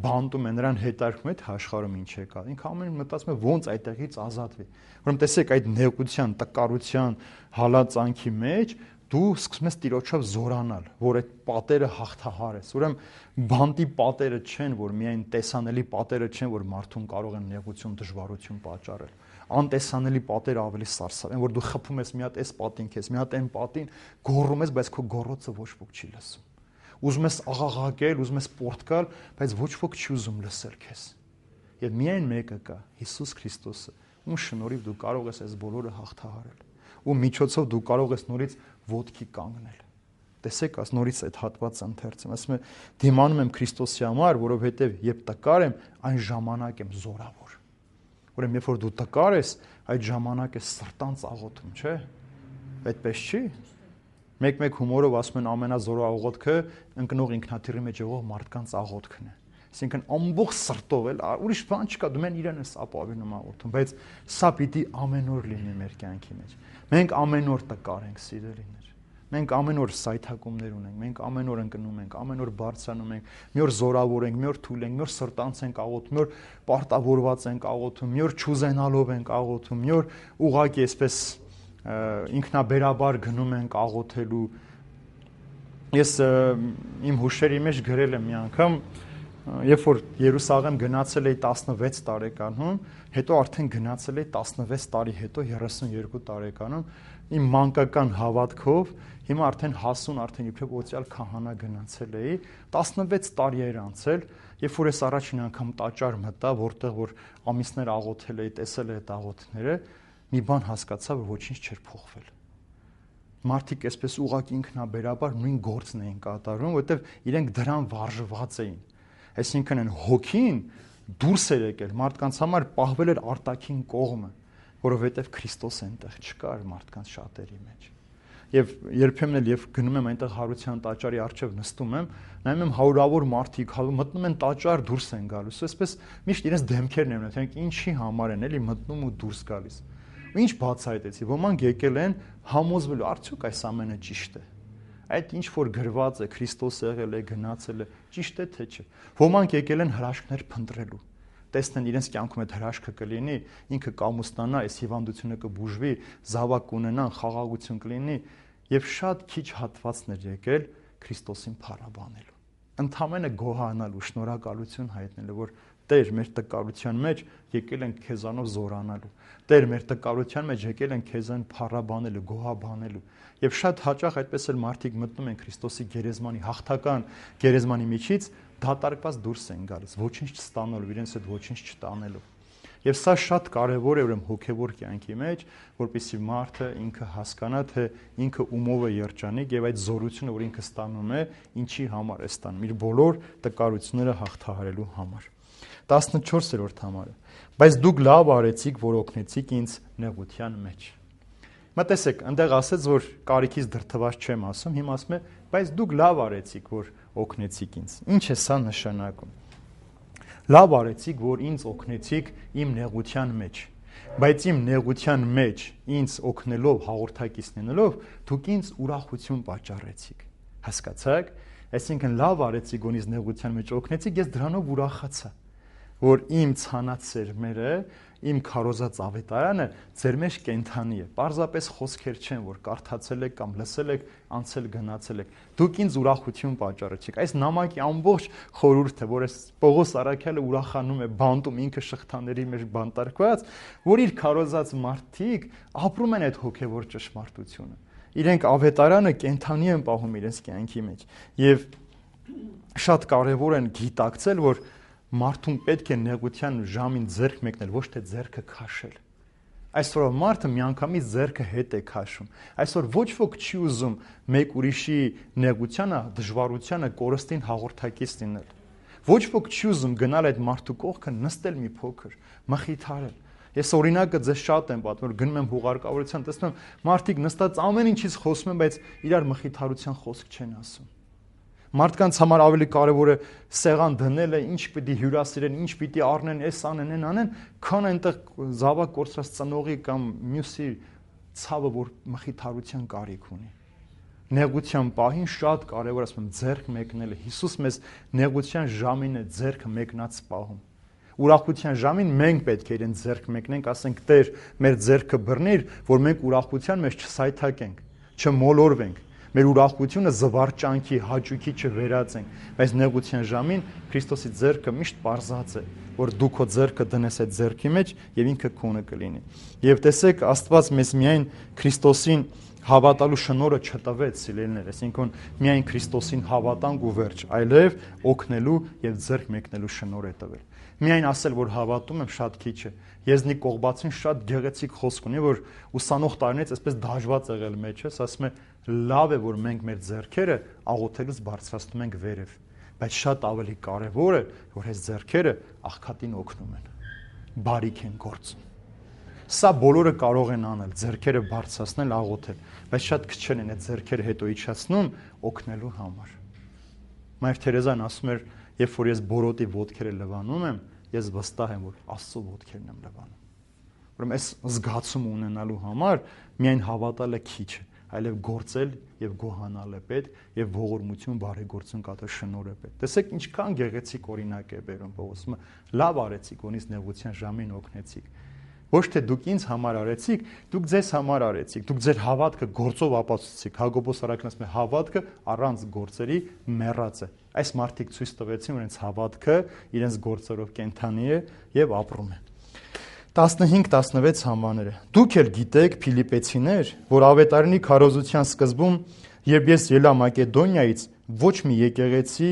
բանտում է նրան հետարքում է, թե աշխարհում ինչ է կա, ինքը ամեն մտածում է ոնց այդտեղից ազատվի։ Ուրեմն տեսեք այդ նեղության, տկարության, հալածանքի մեջ դու սկսում ես Տիրոջով զորանալ, որ այդ պատերը հաղթահարես։ Ուրեմն բանտի պատերը չեն, որ միայն տեսանելի պատերը չեն, որ մարդուն կարող են նեղություն, դժվարություն պատճառել։ Անտեսանելի պատերը ավելի սարսափ են, որ դու խփում ես մի հատ այս պատին քեզ, մի հատ այն պատին, գոռում ես, բայց քո գոռոցը ոչ ոք չի լսում։ Ուզում ես աղաղակել, ուզում ես պորտկալ, բայց ոչ ոք չի ուզում լսել քեզ։ Եվ միայն մեկը կա, Հիսուս Քրիստոսը, ում շնորհիվ դու կարող ես այս բոլորը հաղթահարել։ Ու միջոցով դու կարող ես նորից ոտքի կանգնել։ Տեսեք, աս նորից այդ հատվածը ընթերցում, ասում է դիմանում եմ Քրիստոսի համար, որովհետև երբ տկար եմ, այն ժամանակ եմ զորավոր։ Ուրեմն երբ որ դու տկար ես, այդ ժամանակ է սրտանց աղոթում, չէ՞։ Այդպես չի։ Մեկ-մեկ հումորով ասում են ամենազորո աղոթքը ընկնող ինքնաթիռի մեջ եղող մարդկանց աղոթքն է։ Այսինքն ամբողջ սրտով էլ ուրիշ բան չկա, դու մեն իրեն ես ապավինում աղոթում, բայց սա պիտի ամեն օր լինի մեր կյանքի մեջ։ Մենք ամեն օր տկար ենք, սիրելիներ։ Մենք ամեն օր սայթակումներ ունենք, մենք ամեն օր ընկնում ենք, ամեն օր բարձրանում ենք, մի օր զորավոր ենք, մի օր թույլ ենք, մի օր սրտանց ենք աղոթում, մի օր պարտավորված ենք աղոթում, մի օր չուզենալով ենք աղոթում, մի օր ուղղակի այսպես ինքնաբերաբար գնում ենք աղոթելու։ Ես իմ հուշերի մեջ գրել եմ մի անգամ, երբ որ Երուսաղեմ գնացել էի տասնվեց տարեկանում, հետո արդեն գնացել էի տասնվեց տարի հետո երեսունյոթ տարեկանում, իմ մանկական հավատքով, հիմա արդեն հասուն, արդեն իբրև օծյալ քահանա գնացել էի, տասնվեց տարի էր անցել, երբ որ ես առաջին անգամ տաճար մտա, որտեղ որ ամիսներ աղոթել էի, տեսել էի այդ աղոթները, մի բան հասկացա, որ ոչինչ չէր փոխվել։ Մարդիկ այսպես ուղղակի ինքնաբերաբար նույն գործն էին կատարում, որովհետև իրենք դրան վարժված էին։ Այսինքն այն հոգին դուրս էր եկել, մարդկանց համար պահվել էր արտաքին կողմը, որովհետև Քրիստոս այնտեղ չկար մարդկանց շատերի մեջ։ Եվ երբեմն էլ երբ գնում եմ այնտեղ Հարության տաճարի առջև նստում եմ, նայում եմ հարյուրավոր մարդիկ մտնում են տաճար, դուրս են գալիս։ Այսպես միշտ իրենց դեմքերն են ունենում, ինչի համար են էլի մտնում ու դուրս գալիս։ Ու ինչ բացահայտեցի, ոմանք եկել են համոզվելու, արդյոք այս ամենը ճիշտ է։ Այդ ինչ որ գրված է, Քրիստոս եղել է, գնացել է, ճիշտ է թե չէ։ Ոմանք եկել են հրաշքներ փնտրելու։ Տեսնեն իրենց կյանքում այդ հրաշքը կլինի, ինքը կամուստանա, այս հիվանդությունը կբուժվի, զավակ կունենան, խաղաղություն կլինի, եւ շատ քիչ հատվածներ եկել Քրիստոսին փառաբանելու։ Ընդհանրապես գոհանալու, շնորհակալություն հայտնելու, որ Տեր, մեր տկարության մեջ եկել ենք քեզանով զորանալու։ Տեր, մեր տկարության մեջ եկել ենք քեզան փառաբանելու, գոհաբանելու։ Եվ շատ հաճախ այդպես էլ մարդիկ մտնում են Քրիստոսի գերեզմանի հաղթական գերեզմանի միջից, դատարկված դուրս են գալիս, ոչինչ չստանալու, իրենց հետ ոչինչ չտանելու։ Եվ սա շատ կարևոր է ուրեմն հոգևոր կյանքի մեջ, որպեսզի մարդը ինքը հասկանա, թե ինքը ումով է երջանիկ եւ այդ զորությունը, որ ինքը ստանում է, ինչի համար է ստանում, իր բոլոր տկարությունները հաղթահարելու համար։ տասնչորսերորդ համարը։ Բայց դուք լավ արեցիք, որ օգնեցիք ինձ նեղության մեջ։ Մտածեք, այնտեղ ասեց, որ կարիքից դրդված չեմ ասում, հիմա ասում է, բայց դուք լավ արեցիք, որ օգնեցիք ինձ։ Ինչ է սա նշանակում։ Լավ արեցիք, որ ինձ օգնեցիք իմ նեղության մեջ, բայց իմ նեղության մեջ ինձ օգնելով, հաղորդակից լինելով, դուք ինձ ուրախություն պատճառեցիք։ Հասկացաք։ Այսինքն լավ արեցիք, որ ինձ նեղության մեջ օգնեցիք, ես դրանով ուրախացա, որ իմ ցանած սերմերը, իմ քարոզած ավետարանը ձեր մեջ կենթանի է։ Պարզապես խոսքեր չեն, որ կարդացել եք կամ լսել եք, անցել գնացել եք։ Դուք ինձ ուրախություն պատճառեցիք։ Այս նամակի ամբողջ խորհուրդը, որ այս Պողոս Առաքյալը ուրախանում է, բանտում ինքը շղթաների մեջ բանտարկված, որ իր քարոզած մարդիկ ապրում են այդ հոգևոր ճշմարտությունը։ Իրենք ավետարանը կենթանի են պահում իրենց կյանքի մեջ։ Եվ շատ կարևոր են գիտակցել, որ մարդուն պետք է նեղության ժամին ձեռք մեկնել, ոչ թե ձեռքը քաշել։ Այսօր մարդը միանգամից ձեռքը հետ է քաշում։ Այսօր ոչ ոք չի ուզում մեկ ուրիշի նեղությանը, դժվարությանը կորստին հաղորդակից լինել։ Ոչ ոք չի ուզում գնալ այդ մարդու կողքը, նստել մի փոքր, մխիթարել։ Ես օրինակը ձեզ շատ եմ պատմում, գնում եմ հուղարկավորության, տեսնում եմ մարդիկ նստած ամեն ինչից խոսում են, բայց իրար մխիթարության խոսք չեն ասում։ Մարդկանց համար ավելի կարևոր է սեղան դնելը, ինչ պիտի հյուրասիրեն, ինչ պիտի առնեն, էս անեն, այն անեն, քան այնտեղ զավակ կորցրած ծնողի կամ մյուսի ցավը, որ մխիթարության կարիք ունի։ Նեղության պահին շատ կարևոր է, ասում եմ, ձեռք մեկնելը։ Հիսուս մեզ նեղության ժամին է ձեռքը մեկնած պահում։ Ուրախության ժամին մենք պետք է իրեն ձեռք մեկնենք, ասենք Տեր, մեր ձեռքը բռնիր, որ մենք ուրախության մեջ չսայթակենք, չմոլորվենք։ Մեր ուրախությունը զվարճանքի, հաճույքի չվերածենք, բայց նեղության ժամին Քրիստոսի ձեռքը միշտ պարզած է, որ դու քո ձեռքը դնես այդ ձեռքի մեջ եւ ինքը քոնը կլինի։ Եվ տեսեք, Աստված մեզ միայն Քրիստոսին հավատալու շնորհը չտվեց, սիրելիներ, այսինքն միայն Քրիստոսին հավատանք ու վերջ, այլև օգնելու եւ ձեռք մեկնելու շնորհ է տվել։ Միայն ասել, որ հավատում եմ, շատ քիչ է։ Եզնիկ Կողբացին շատ գեղեցիկ խոսք ունի, որ ուսանող տարիներից այսպես դաժված եղել մեջս, ասում է, լավ է, որ մենք մեր ձեռքերը աղոթելուց բարձրացնում ենք վերև, բայց շատ ավելի կարևոր է, որ այս ձեռքերը աղքատին օգնում են, բարիք են գործում։ Սա բոլորը կարող են անել, ձեռքերը բարձրացնել, աղոթել, բայց շատ քչեն են այդ ձեռքերը հետո իջացնում օգնելու համար։ Մայր Թերեզան ասում էր, երբ որ ես բորոտի ոտքերը լվանում եմ, ես վստահ եմ, որ Աստծո ոտքերն եմ լվանում։ Ուրեմն այս զգացումը ունենալու համար միայն հավատալը քիչ է, այլև գործել եւ գոհանալ է պետք եւ ողորմություն, բարեգործություն կատարել շնորհ է պետք։ Տեսեք ինչքան գեղեցիկ օրինակ է բերում Պողոսը։ Լավ արեցիք, որ ինձ նեղության ժամին օգնեցիք։ Ոչ թե դուք ինձ համար արեցիք, դուք ձեզ համար արեցիք, դուք ձեր հավատքը գործով ապացուցեցիք։ Հակոբոս Առաքյալն ասում է, հավատքը առանց գործերի մեռած է։ Այս մարդիկ ցույց տվեցին, որ իրենց հավատքը իրենց գործերով կենթանի է եւ ապրում է։ տասնհինգ տասնվեց համաները։ Դուք էլ գիտեք, Փիլիպեցիներ, որ ավետարանի քարոզության սկզբում, երբ ես ելա Մակեդոնիայից, ոչ մի եկեղեցի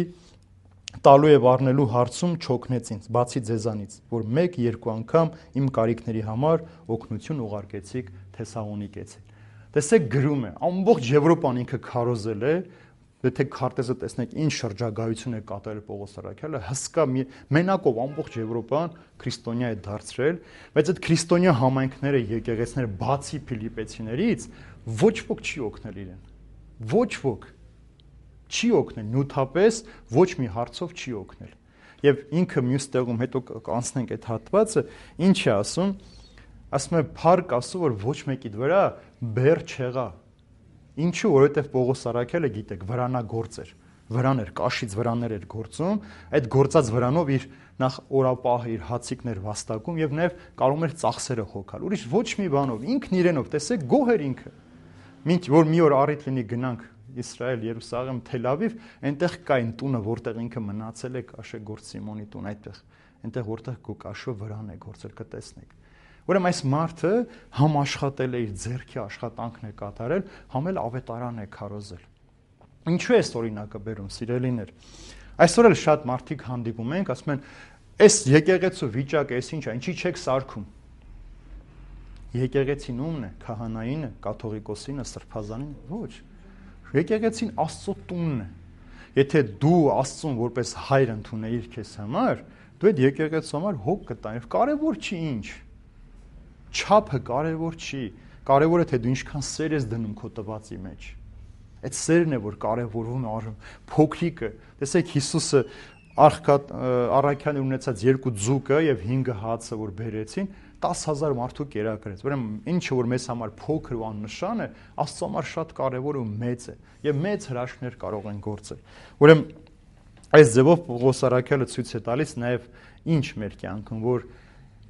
տալու եւ առնելու հարցում չօգնեց ինձ, բացի ձեզանից, որ մեկ-երկու անգամ իմ կարիքների համար օգնություն ուղարկեցիք Թեսաղոնիկեցին։ Տեսեք գրում է, ամբողջ Եվրոպան ինքը քարոզել է, եթե քարտեզը տեսնեք ինչ շրջագայություն է կատարել Պողոս Առաքյալը, հսկա մենակով ամբողջ Եվրոպան քրիստոնյա է դարձրել, բայց այդ քրիստոնյա համայնքները, եկեղեցիները բացի Փիլիպեցիներից ոչ ոք չի օգնել իրեն։ Ոչ ոք չի օգնել, նյութապես ոչ մի հարցով չի օգնել։ Եվ ինքը մյուս տեղում հետո կանցնենք այդ հատվածը, ինչ է ասում, ասում է փառք Աստծո, որ ոչ մեկի վրա բեր չեղա։ Ինչու, որովհետև Պողոս Առաքյալը գիտեք, վրանագործ էր, վրան էր, կաշից վրաններ էր գործում, այդ գործած վրանով իր նախ օրապահը, իր հացիկներ վաստակում եւ նաեւ կարող էր ծախսերը հոգալ։ Ուրիշ ոչ մի բանով, ինքն իրենով, տեսեք, գոհ էր ինքը։ Մինչ որ մի օր առիթ լինի գնանք Իսրայել, Երուսաղեմ, Թել Ավիվ, այնտեղ կա այն տունը, որտեղ ինքը մնացել է, Կաշեգործ Սիմոնի տուն, այդտեղ, այնտեղ որտեղ Կաշո վրան է գործել, կտեսնեք։ Ուրեմն այս մարդը համ աշխատել է, իր ձեռքի աշխատանքն է կատարել, համ էլ ավետարան է քարոզել։ Ինչու է այս օրինակը բերում, սիրելիներ։ Այսօր էլ շատ մարդիկ հանդիպում ենք, ասում են, Այս եկեղեցու վիճակը էս ինչ է, ինչի չեք սարքում։ Եկեղեցին ումն է, քահանայինը, կաթողիկոսինը, սրբազանին, ոչ։ Եկեղեցին Աստծո տունն է։ Եթե դու Աստծուն որպես հայր ընդունեիր քեզ համար, դու այդ եկեղեցու համար հոգ կտանիր, կարևոր չի ինչ։ Չափը կարևոր չի, կարևորը թե դու ինչքան սեր ես դնում քո տվածի մեջ։ Այդ սերն է, որ կարևորվում է փոքրիկը։ Տեսեք Հիսուսը առաքյալն ունեցած երկու ձուկը եւ հինգ հացը որ բերեցին, տասը հազար մարդու կերակրեց։ Ուրեմն ինչը որ մեզ համար փոքր ու աննշան է, Աստծո համար շատ կարևոր ու մեծ է եւ մեծ հրաշքներ կարող են գործել։ Ուրեմն այս ձևով Պողոս առաքյալը ցույց է տալիս նաեւ ինչ մեր կյանքում, որ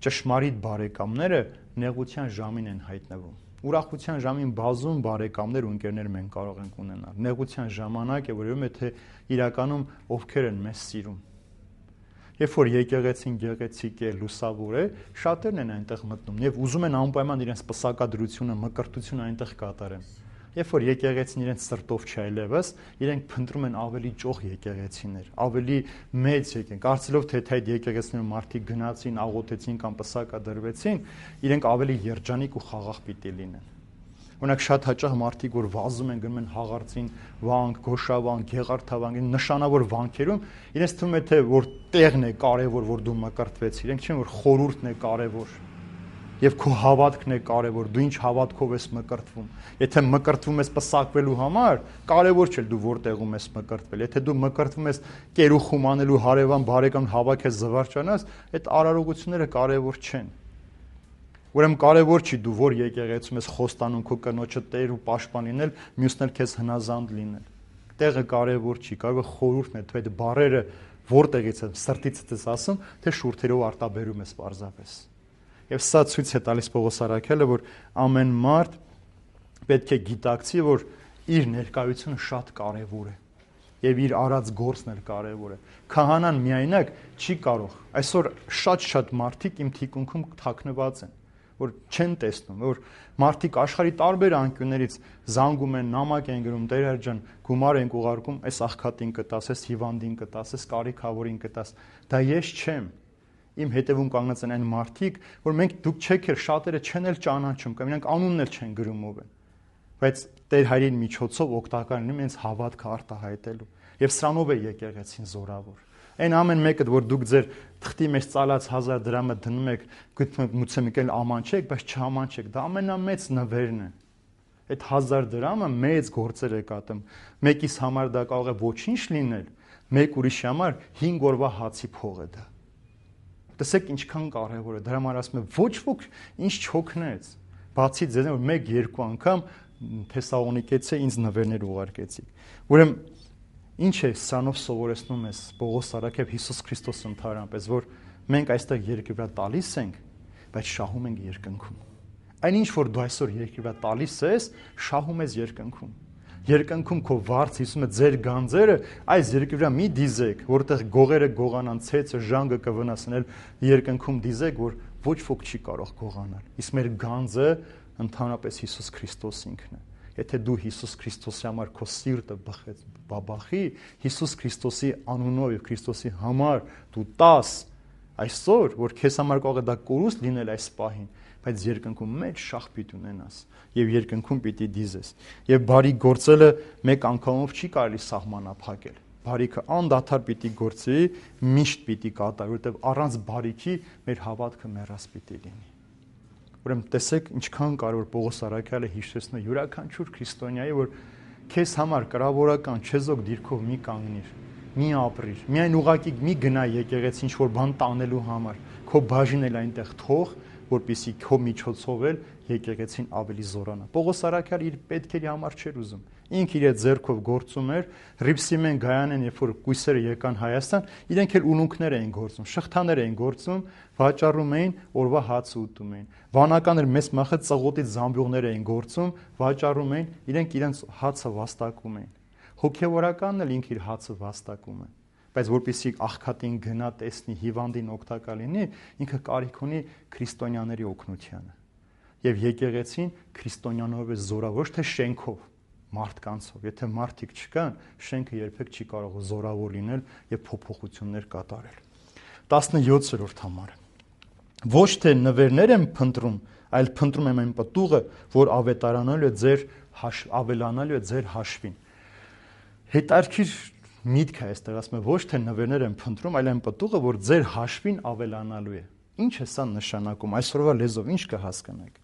ճշմարիտ բարեկամները նեղության ժամին են հայտնվում։ Ուրախության ժամին բազում բարեկամներ ու ընկերներ մենք կարող ենք ունենալ։ Նեղության ժամանակ է, որում է թե իրականում ովքեր են մեզ սիրում։ Երբ որ եկեղեցին գեղեցիկ է, լուսավոր է, շատերն են այնտեղ մտնում եւ ուզում են անպայման իրենց պսակադրությունը, մկրտությունը այնտեղ կատարեն։ Երբ որ եկեղեցին իրենց սրտով չայլևս, իրենք փնտրում են ավելի ճոխ եկեղեցիներ, ավելի մեծ եկեն, կարծելով թե թե այդ եկեղեցիներում մարդիկ գնացին, աղոթեցին կամ պսակադրվեցին, իրենք ավելի երջանիկ ու խաղաղ պիտի լինեն։ Օրինակ շատ հաճախ մարդիկ որ վազում են, գնում են հաղարծին վանք, գոշավանք, գեղարդավանք, նշանավոր վանքերում, իրենց թվում է թե որ տեղն է կարևոր, որ դու մկրտվեցիր, իրենք չեն որ խորհուրդն է կարևոր։ Եվ քո հավատքն է կարևոր, դու ինչ հավատքով ես մկրտվում։ Եթե մկրտվում ես պսակվելու համար, կարևոր չէ դու որտեղում ես մկրտվել։ Եթե դու մկրտվում ես կերուխում անելու հարևան բարեկամ հավաքես զվարճանաս, այդ արարողությունները կարևոր չեն։ Ուրեմն կարևոր չի դու որ եկեղեցում ես խոստանում քո կնոջը տեր ու պաշտպան լինել, մյուսն էլ քեզ հնազանդ լինել։ Տեղը կարևոր չի, կարող է խորհուրդն է, թե այդ բառերը որտեղից են, սրտիցդ ես ասում, թե շուրթերով արտաբերում ես պարզապես։ Եվ սա ցույց է տալիս Պողոս առաքյալը, որ ամեն մարդ պետք է գիտակցի, որ իր ներկայությունը շատ կարևոր է եւ իր արած գործն էլ կարևոր է։ Քահանան միայնակ չի կարող։ Այսօր շատ-շատ մարդիկ իմ թիկունքում թաքնված են, որ չեն տեսնում, որ մարդիկ աշխարհի տարբեր անկյուններից զանգում են, նամակ են գրում, Տեր ջան, գումար են ուղարկում, այս աղքատին կտաս, այս հիվանդին կտաս, այս կարիքավորին կտաս։ Դա ես չեմ։ Իմ հետևում կանգնած են այն մարդիկ, որ մենք դուք չեք էլ շատերը չեն էլ ճանաչում, կամ իրանք անունն էլ չեն գրում ով են։ Բայց Տեր հայրին միջոցով օգտակար լինում ինձ հավատքը արտահայտելու։ Եվ սրանով է եկեղեցին զորավոր։ Այն ամեն մեկը, որ դուք ձեր թղթի մեջ ծալած հազար դրամը դնում եք, գուցե մի կել ամանչեք, բայց չամանչեք, դա ամենամեծ նվերն է։ Այդ հազար դրամը մեծ գործեր է կատում։ Մեկիս համար դա կարող է ոչինչ լինել, մեկ ուրիշի համար հինգ օրվա հացի փող է դա։ Տեսեք ինչքան կարևոր է։ Դրա համար ասում եմ, ոչ ոք ինչ չօգնեց։ Բացի ձեզ, որ մեկ երկու անգամ Թեսաղոնիկեցի ինձ նվերներ ուղարկեցիք։ Ուրեմն ինչ է սրանով սովորեցնում ես Պողոս առաքյալ Հիսուս Քրիստոս ընդհանրապես, որ մենք այստեղ երկրի վրա տալիս ենք, բայց շահում ենք երկնքում։ Այնինչ որ դու այսօր երկրի վրա տալիս ես, շահում ես երկնքում։ Երկնքում քո վարձ Հիսուսը ձեր գանձերը այս երկրի վրա մի դիզեք, որտեղ գողերը գողանան, ցեցը ժանգը կվնասնել, երկնքում դիզեք, որ ոչ ոք չի կարող գողանալ։ Իսկ մեր գանձը ընդհանրապես Հիսուս Քրիստոս ինքն է։ Եթե դու Հիսուս Քրիստոսի համար քո սիրտը բխեց բաբախի, Հիսուս Քրիստոսի անունով եւ Քրիստոսի համար դու տաս այսօր, որ քեզ համար կարող է դա կորուստ լինել այս պահին, բայց երկնքում մեծ շահ պիտի ունենաս եւ երկնքում պիտի դիզես։ Եվ բարի գործելը մեկ անգամով չի կարելի սահմանափակել։ Բարիքը անդադար պիտի գործի, միշտ պիտի կատարի, որովհետեւ առանց բարիքի մեր հավատքը մեռած պիտի լինի։ Ուրեմն տեսեք ինչքան կարևոր Պողոս առաքյալը հիշեցնում է յուրաքանչյուր քրիստոնյայի, որ քեզ համար կրավորական չեզոք դիրքով մի կանգնիր, մի ապրիր, միայն ուղակի մի գնա եկեղեցի ինչ որ բան տանելու համար, քո բաժին էլ այնտեղ թող, որպեսզի քո միջոցով էլ եկեղեցին ավելի զորանա։ Պողոս առաքյալը իր պետքերի համար չէր ուզում։ Ինք իր ձեռքով գործում էր, Ռիփսիմեն Գայանեն, երբ որ կույսերը եկան Հայաստան, իրենք էլ ուլունքներ էին գործում, շղթաներ էին գործում, վաճառում էին, օրվա հաց ուտում էին։ Վանականներ մեծ մախը ծղոտից զամբյուղներ էին գործում, վաճառում էին, իրենք իրենց հացը վաստակում էին։ Հոգևորականն էլ ինք իր հացը վաստակում է։ Բայց որպեսզի աղքատին գնա տեսնի, հիվանդին օգտակար լինի, ինքը կարիք ունի քրիստոնյաների օգնությանը։ Եվ եկեղեցին քրիստոնյանով է զորավոր, ոչ թե շենքով, մարդկանցով։ Եթե մարդիկ չկան, շենքը երբեք չի կարող զորավոր լինել եւ փոփոխություններ կատարել։ տասնյոթերորդ համարը։ Ոչ թե նվերներ եմ փնտրում, այլ փնտրում եմ այն պտուղը, որ ավետարանալու է ձեր ավելանալու է ձեր հաշվին։ Հետարքիր միտքը այստեղ ասում է ոչ թե նվերներ եմ փնտրում, այլ այն պտուղը, որ ձեր հաշվին ավելանալու է։ Ինչ է սա նշանակում, այսօրվա լեզվով ինչ կհասկանաք։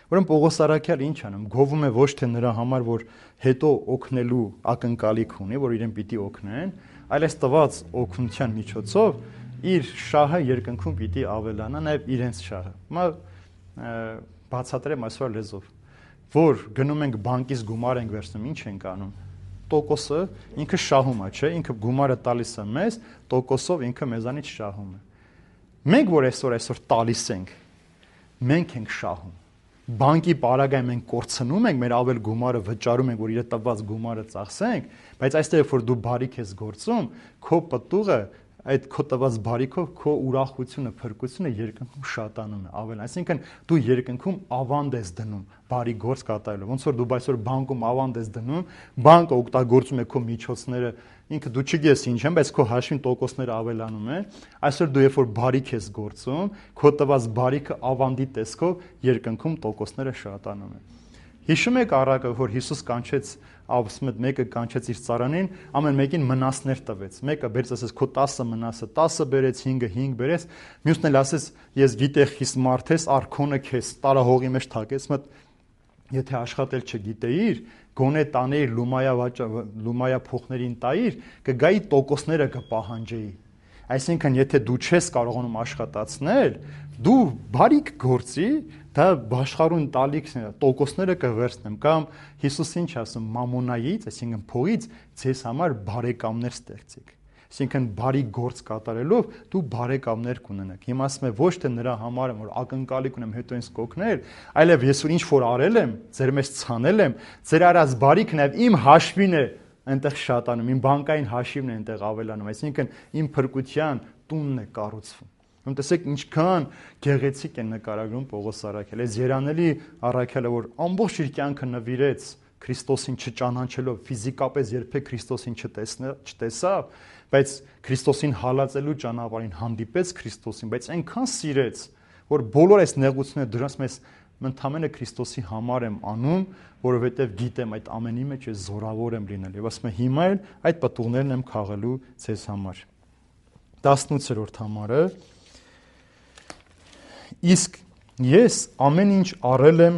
Ուրեմն Պողոս Արաքյալը ինչ անում, գովում է ոչ թե նրա համար, որ հետո օգնելու ակնկալիք ունի, որ իրեն պիտի օգնեն, այլ այս տված օգնության միջոցով իր շահը երկնքում պիտի ավելանա, նաև իրենց շահը։ Հիմա բացատրեմ այսօր լեզվով, որ գնում ենք բանկից գումար ենք վերցնում, ինչ ենք անում։ Տոկոսը ինքը շահում է, չէ՞, ինքը գումարը տալիս է մեզ, տոկոսով ինքը մեզանից շահում է։ Մենք որ այսօր այսօր տալիս ենք, մենք ենք շահում։ Բանկի պարագայում մենք կորցնում ենք, մեր ավել գումարը վճարում ենք, որ իր տված գումարը ծախսենք, բայց այստեղ որ դու բարիք ես գործում, քո պտուղը այդ քո տված բարիքով քո ուրախությունը, փրկությունը երկնքում շատանում է, ավել, այսինքն դու երկնքում ավանդ ես դնում բարի գործ կատարելով։ Ոնց որ դու այսօր բանկում ավանդ ես դնում, բանկը օգտագործում է քո միջոցները, ինքը դու չգիտես ինչ են, բայց քո հաշվին տոկոսները ավելանում են։ Այսօր դու երբ որ բարիք ես գործում, քո տված բարիքը ավանդի տեսքով երկնքում տոկոսները շատանում են։ Հիշում եք առակը, որ Հիսուս կանչեց ասում է մեկը կանչեց իր ծառանին, ամեն մեկին մնասներ տվեց։ Մեկը բերեց ասես քո տասը մնասը տասը բերեց, հինգը հինգ բերեց, մյուսն էլ ասես ես գիտեի խիստ մարդ ես, արքոնը քեզ տարահողի մեջ թակեց, մտ եթե աշխատել չգիտեիր, գոնե տանեիր լումայա լումայա փոխներին տայիր, կգայի տոկոսները կպահանջեի։ Այսինքն եթե դու չես կարողանում աշխատացնել, դու բարիք գործի, դա աշխարհուն տալիք տոկոսները կվերցնեմ կամ Հիսուս ինչ ասում մամոնայից, այսինքն փողից ձեզ համար բարեկամներ ստեղծեք։ Այսինքն բարի գործ կատարելով դու բարեկամներ կունենաք։ Հիմա ասում եմ ոչ թե նրա համար եմ որ ակնկալիք ունեմ հետո ինձ կօգնել, այլև ես որ ինչ որ արել եմ, ձեր մեջ ցանել եմ, ձեր արած բարիքն է իմ հաշվին է այնտեղ շատանում, իմ բանկային հաշիվն է այնտեղ ավելանում, այսինքն իմ փրկության տունն է կառուցվում։ Ում տեսեք ինչքան գեղեցիկ է նկարագրում Պողոս Արաքյալը, այս երանելի Արաքյալը, որ ամբողջ իր կյանքը նվիրեց Քրիստոսին չճանաչելով, ֆիզիկապես երբեք Քրիստոսին չտեսավ, բայց Քրիստոսին հալածելու ճանապարհին հանդիպեց Քրիստոսին, բայց այնքան սիրեց, որ բոլոր այս նեղությունները դրանց մեզ ընդհանրապես Քրիստոսի համար եմ անում, որովհետև գիտեմ այդ ամենի մեջ ես զորավոր եմ լինել։ Եվ ասում եմ հիմա էլ այդ պտուղներն եմ քաղելու ձեզ համար։ տասնութերորդ համարը Իսկ ես ամեն ինչ առել եմ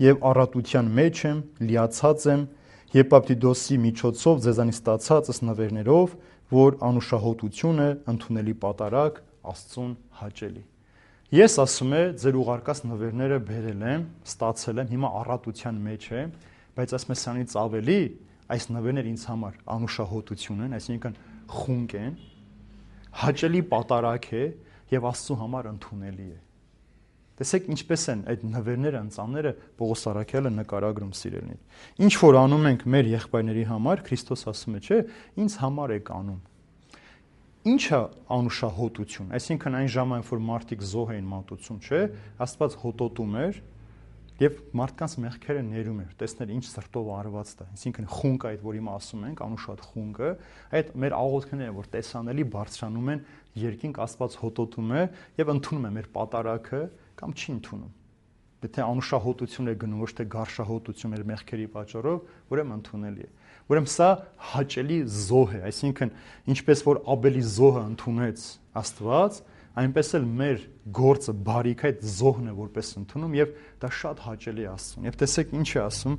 եւ առատության մեջ եմ, լիացած եմ Եփապտիդոսի միջոցով ձեզանից ստացածս նվերներով, որ անուշահոտությունը ընդունելի պատարակ Աստծուն հաճելի։ Ես ասում եմ, ձեր ուղարկած նվերները բերել եմ, ստացել եմ, հիմա առատության մեջ եմ, բայց ասում եմ սրանից ավելի այս նվերները ինձ համար անուշահոտություն են, այսինքն խունկ են, հաճելի պատարակ է եւ Աստծո համար ընդունելի է։ Տեսեք ինչպես են այդ նվերները, ընծանները Պողոս Արաքյալը նկարագրում սիրելիներ։ Ինչ որ անում ենք մեր եղբայրների համար, Քրիստոս ասում է, չէ, ինձ համար եք անում։ Ինչ է անուշահոտություն, այսինքն այն ժամանակ, որ մարդիկ զոհ էին մատուցում, չէ, Աստված հոտոտում էր եւ մարդկանց մեղքերը ներում էր, տեսնել ինչ սրտով արված դա, այսինքն խունկ այդ, որ հիմա ասում ենք, անուշահոտ խունկը, այդ մեր աղոթքները, որ տեսանելի բարձրանում են երկինք, Աստված հոտոտում է եւ ընդունում է մեր պատարակը կամ չի ընդունում։ Եթե անուշահոտություն է գնում, ոչ թե գարշահոտություն մեր մեղքերի պատճառով, ուրեմն ընդունելի է։ Ուրեմն սա հաճելի զոհ է, այսինքն ինչպես որ Աբելի զոհը ընդունեց Աստված, այնպես էլ մեր գործը բարիք այդ զոհն է որպես ընդունում եւ դա շատ հաճելի է Աստծուն։ Եվ տեսեք ինչ է ասում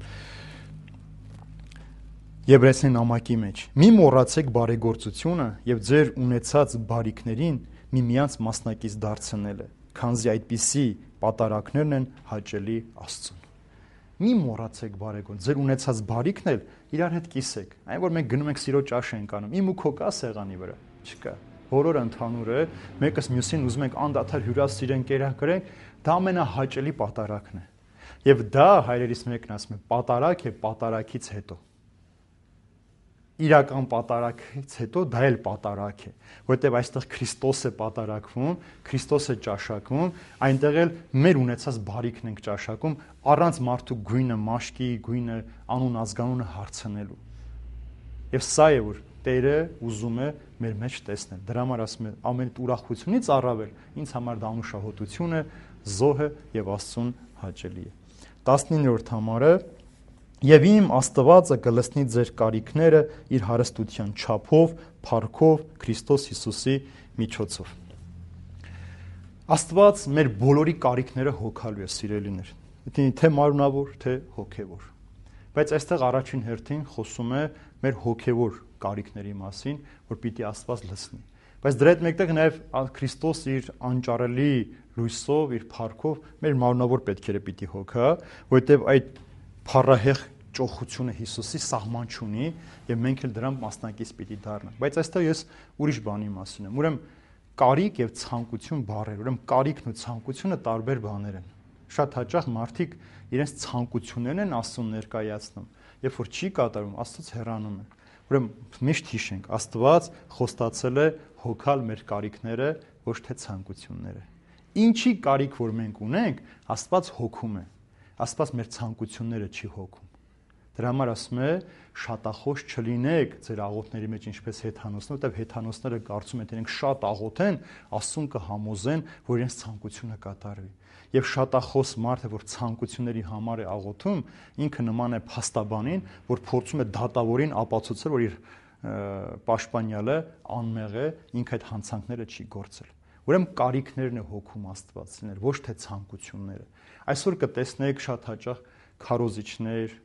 Եբրայեցին նամակի մեջ. Մի մոռացեք բարեգործությունը եւ ձեր ունեցած բարիքներին միմյանց մասնակից դարձնելը, քանզի այդպիսի պատարակներն են հաճելի Աստծուն։ Մի մոռացեք բարեգործ, ձեր ունեցած բարիքն էլ իրար հետ կիսեք։ Այն որ մենք գնում ենք սիրո ճաշ ենք անում, իմ ու քո կա սեղանի վրա, չկա։ Բոլորը ընդհանուր է, մեկս մյուսին ուզում ենք անդադար հյուրասիրենք, կերակրենք, դա ամենահաճելի պատարակն է։ Եվ դա հայրերիս մեկն ասում է, պատարակ է պատարակից հետո։ Իրական պատարակից հետո դա էլ պատարակ է, որովհետև այստեղ Քրիստոս է պատարակվում, Քրիստոս է ճաշակվում, այնտեղ էլ մեր ունեցած բարիքն ենք ճաշակում, առանց մարդու գույնը, մաշկի գույնը, անուն ազգանունը հարցնելու։ Եվ սա է որ Տերը ուզում է մեր մեջ տեսնել։ Դրա համար ասում եմ, ամեն ուրախությունից առավել ինձ համար դա անուշահոտություն է, զոհ է եւ Աստծուն հաճելի է։ տասնիններորդ համարը Եվ իմ Աստվածը կլցնի ձեր կարիքները իր հարստության չափով, փառքով Քրիստոս Հիսուսի միջոցով։ Աստված մեր բոլորի կարիքները հոգալու է, սիրելիներ, թե մարմնավոր, թե հոգևոր։ Բայց այստեղ առաջին հերթին խոսում է մեր հոգևոր կարիքների մասին, որ պիտի Աստված լցնի։ Բայց դրա հետ մեկտեղ նաև Քրիստոս իր անճարելի լույսով, իր փառքով մեր մարմնավոր պետքերը պիտի հոգա, որովհետև այդ փառահեղ ճոխությունը Հիսուսի սահման չունի եւ մենք էլ դրան մասնակից պիտի դառնանք։ Բայց այստեղ ես ուրիշ բանի մասին եմ։ Ուրեմն կարիք եւ ցանկություն բառեր, ուրեմն կարիքն ու ցանկությունը տարբեր բաներ են։ Շատ հաճախ մարդիկ իրենց ցանկություններն են Աստծուն ներկայացնում, երբ որ չի կատարում, Աստծուց հեռանում են։ Ուրեմն միշտ հիշենք, Աստված խոստացել է հոգալ մեր կարիքները, ոչ թե ցանկությունները։ Ինչի կարիք որ մենք ունենք, Աստված հոգում է։ Աստված մեր ցանկությունները չի հոգում։ Դրա համար ասում է շատախոս չլինեք ձեր աղոթների մեջ ինչպես հեթանոսները, որտեղ հեթանոսները կարծում են, թե իրենք շատ աղոթեն, Աստծուն կհամոզեն, որ իրենց ցանկությունը կատարվի։ Եվ շատախոս մարդը, որ ցանկությունների համար է աղոթում, ինքը նման է փաստաբանին, որ փորձում է դատավորին ապացուցել, որ իր պաշտպանյալը անմեղ է, ինքը այդ հանցանքները չի գործել։ Ուրեմն կարիքներն է հոգում Աստվածներ, ոչ թե ցանկությունները։ Այսօր կտեսնեք շատ հաճախ քարոզիչներ,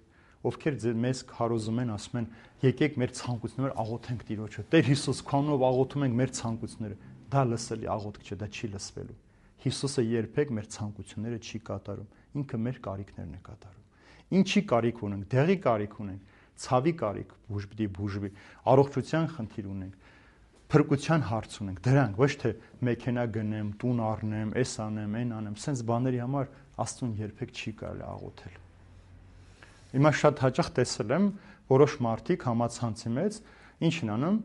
ովքեր մեզ քարոզում են, ասում են, եկեք մեր ցանկությունները աղոթենք Տիրոջը։ Տեր Հիսուս, քանով աղոթում ենք մեր ցանկությունները։ Դա լսելի աղոթք չէ, դա չի լսվելու։ Հիսուսը երբեք մեր ցանկությունները չի կատարում, ինքը մեր կարիքներն է կատարում։ Ինչի կարիք ունենք, դեղի կարիք ունենք, ցավի կարիք, բուժբի բուժբի, առողջության խնդիր ունենք, փրկության հարց ունենք, դրանք ոչ թե մեքենա գնեմ, տուն առնեմ, էս անեմ, այն անեմ, սենց բաների համար Աստծուն երբեք չի կարելի աղոթել։ Հիմա շատ հաճախ տեսել եմ որոշ մարդիկ համացանցի մեջ ինչ են անում,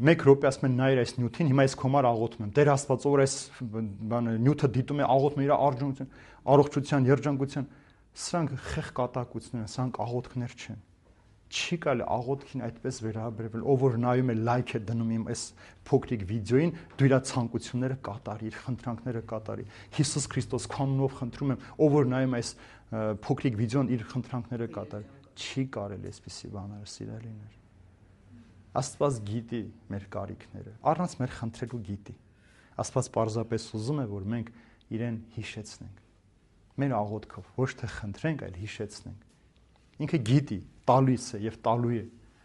մեկ րոպե ասում են նայր այս նյութին, հիմա ես քո համար աղոթում եմ։ Տեր Աստված, որ այս բանը նյութը դիտում է, աղոթում է իր առողջության, առողջության, երջանկության, սրանք խեղ կատակություններ են, սրանք աղոթքներ չեն։ Չի կարելի աղոթքին այդպես վերաբերվել, ով որ նայում է լայք է դնում իմ այս փոքրիկ վիդեոին, դու իր ցանկությունները կատարի, իր խնդրանքները կատարի։ Հիսուս Քրիստոս քանունով խնդրում եմ, ով որ նայում այս փոքրիկ վիդեոն իր խնդրանքները կատարի։ Չի կարելի այսպիսի բաներ, սիրելիներ։ Աստված գիտի մեր կարիքները, առանց մեր խնդրելու գիտի։ Աստված պարզապես ուզում է, որ մենք իրեն հիշեցնենք։ Մեր աղոթքով ոչ թե խնդրենք, այլ հիշեցնենք։ Ինքը գիտի, տալիս է եւ տալու է,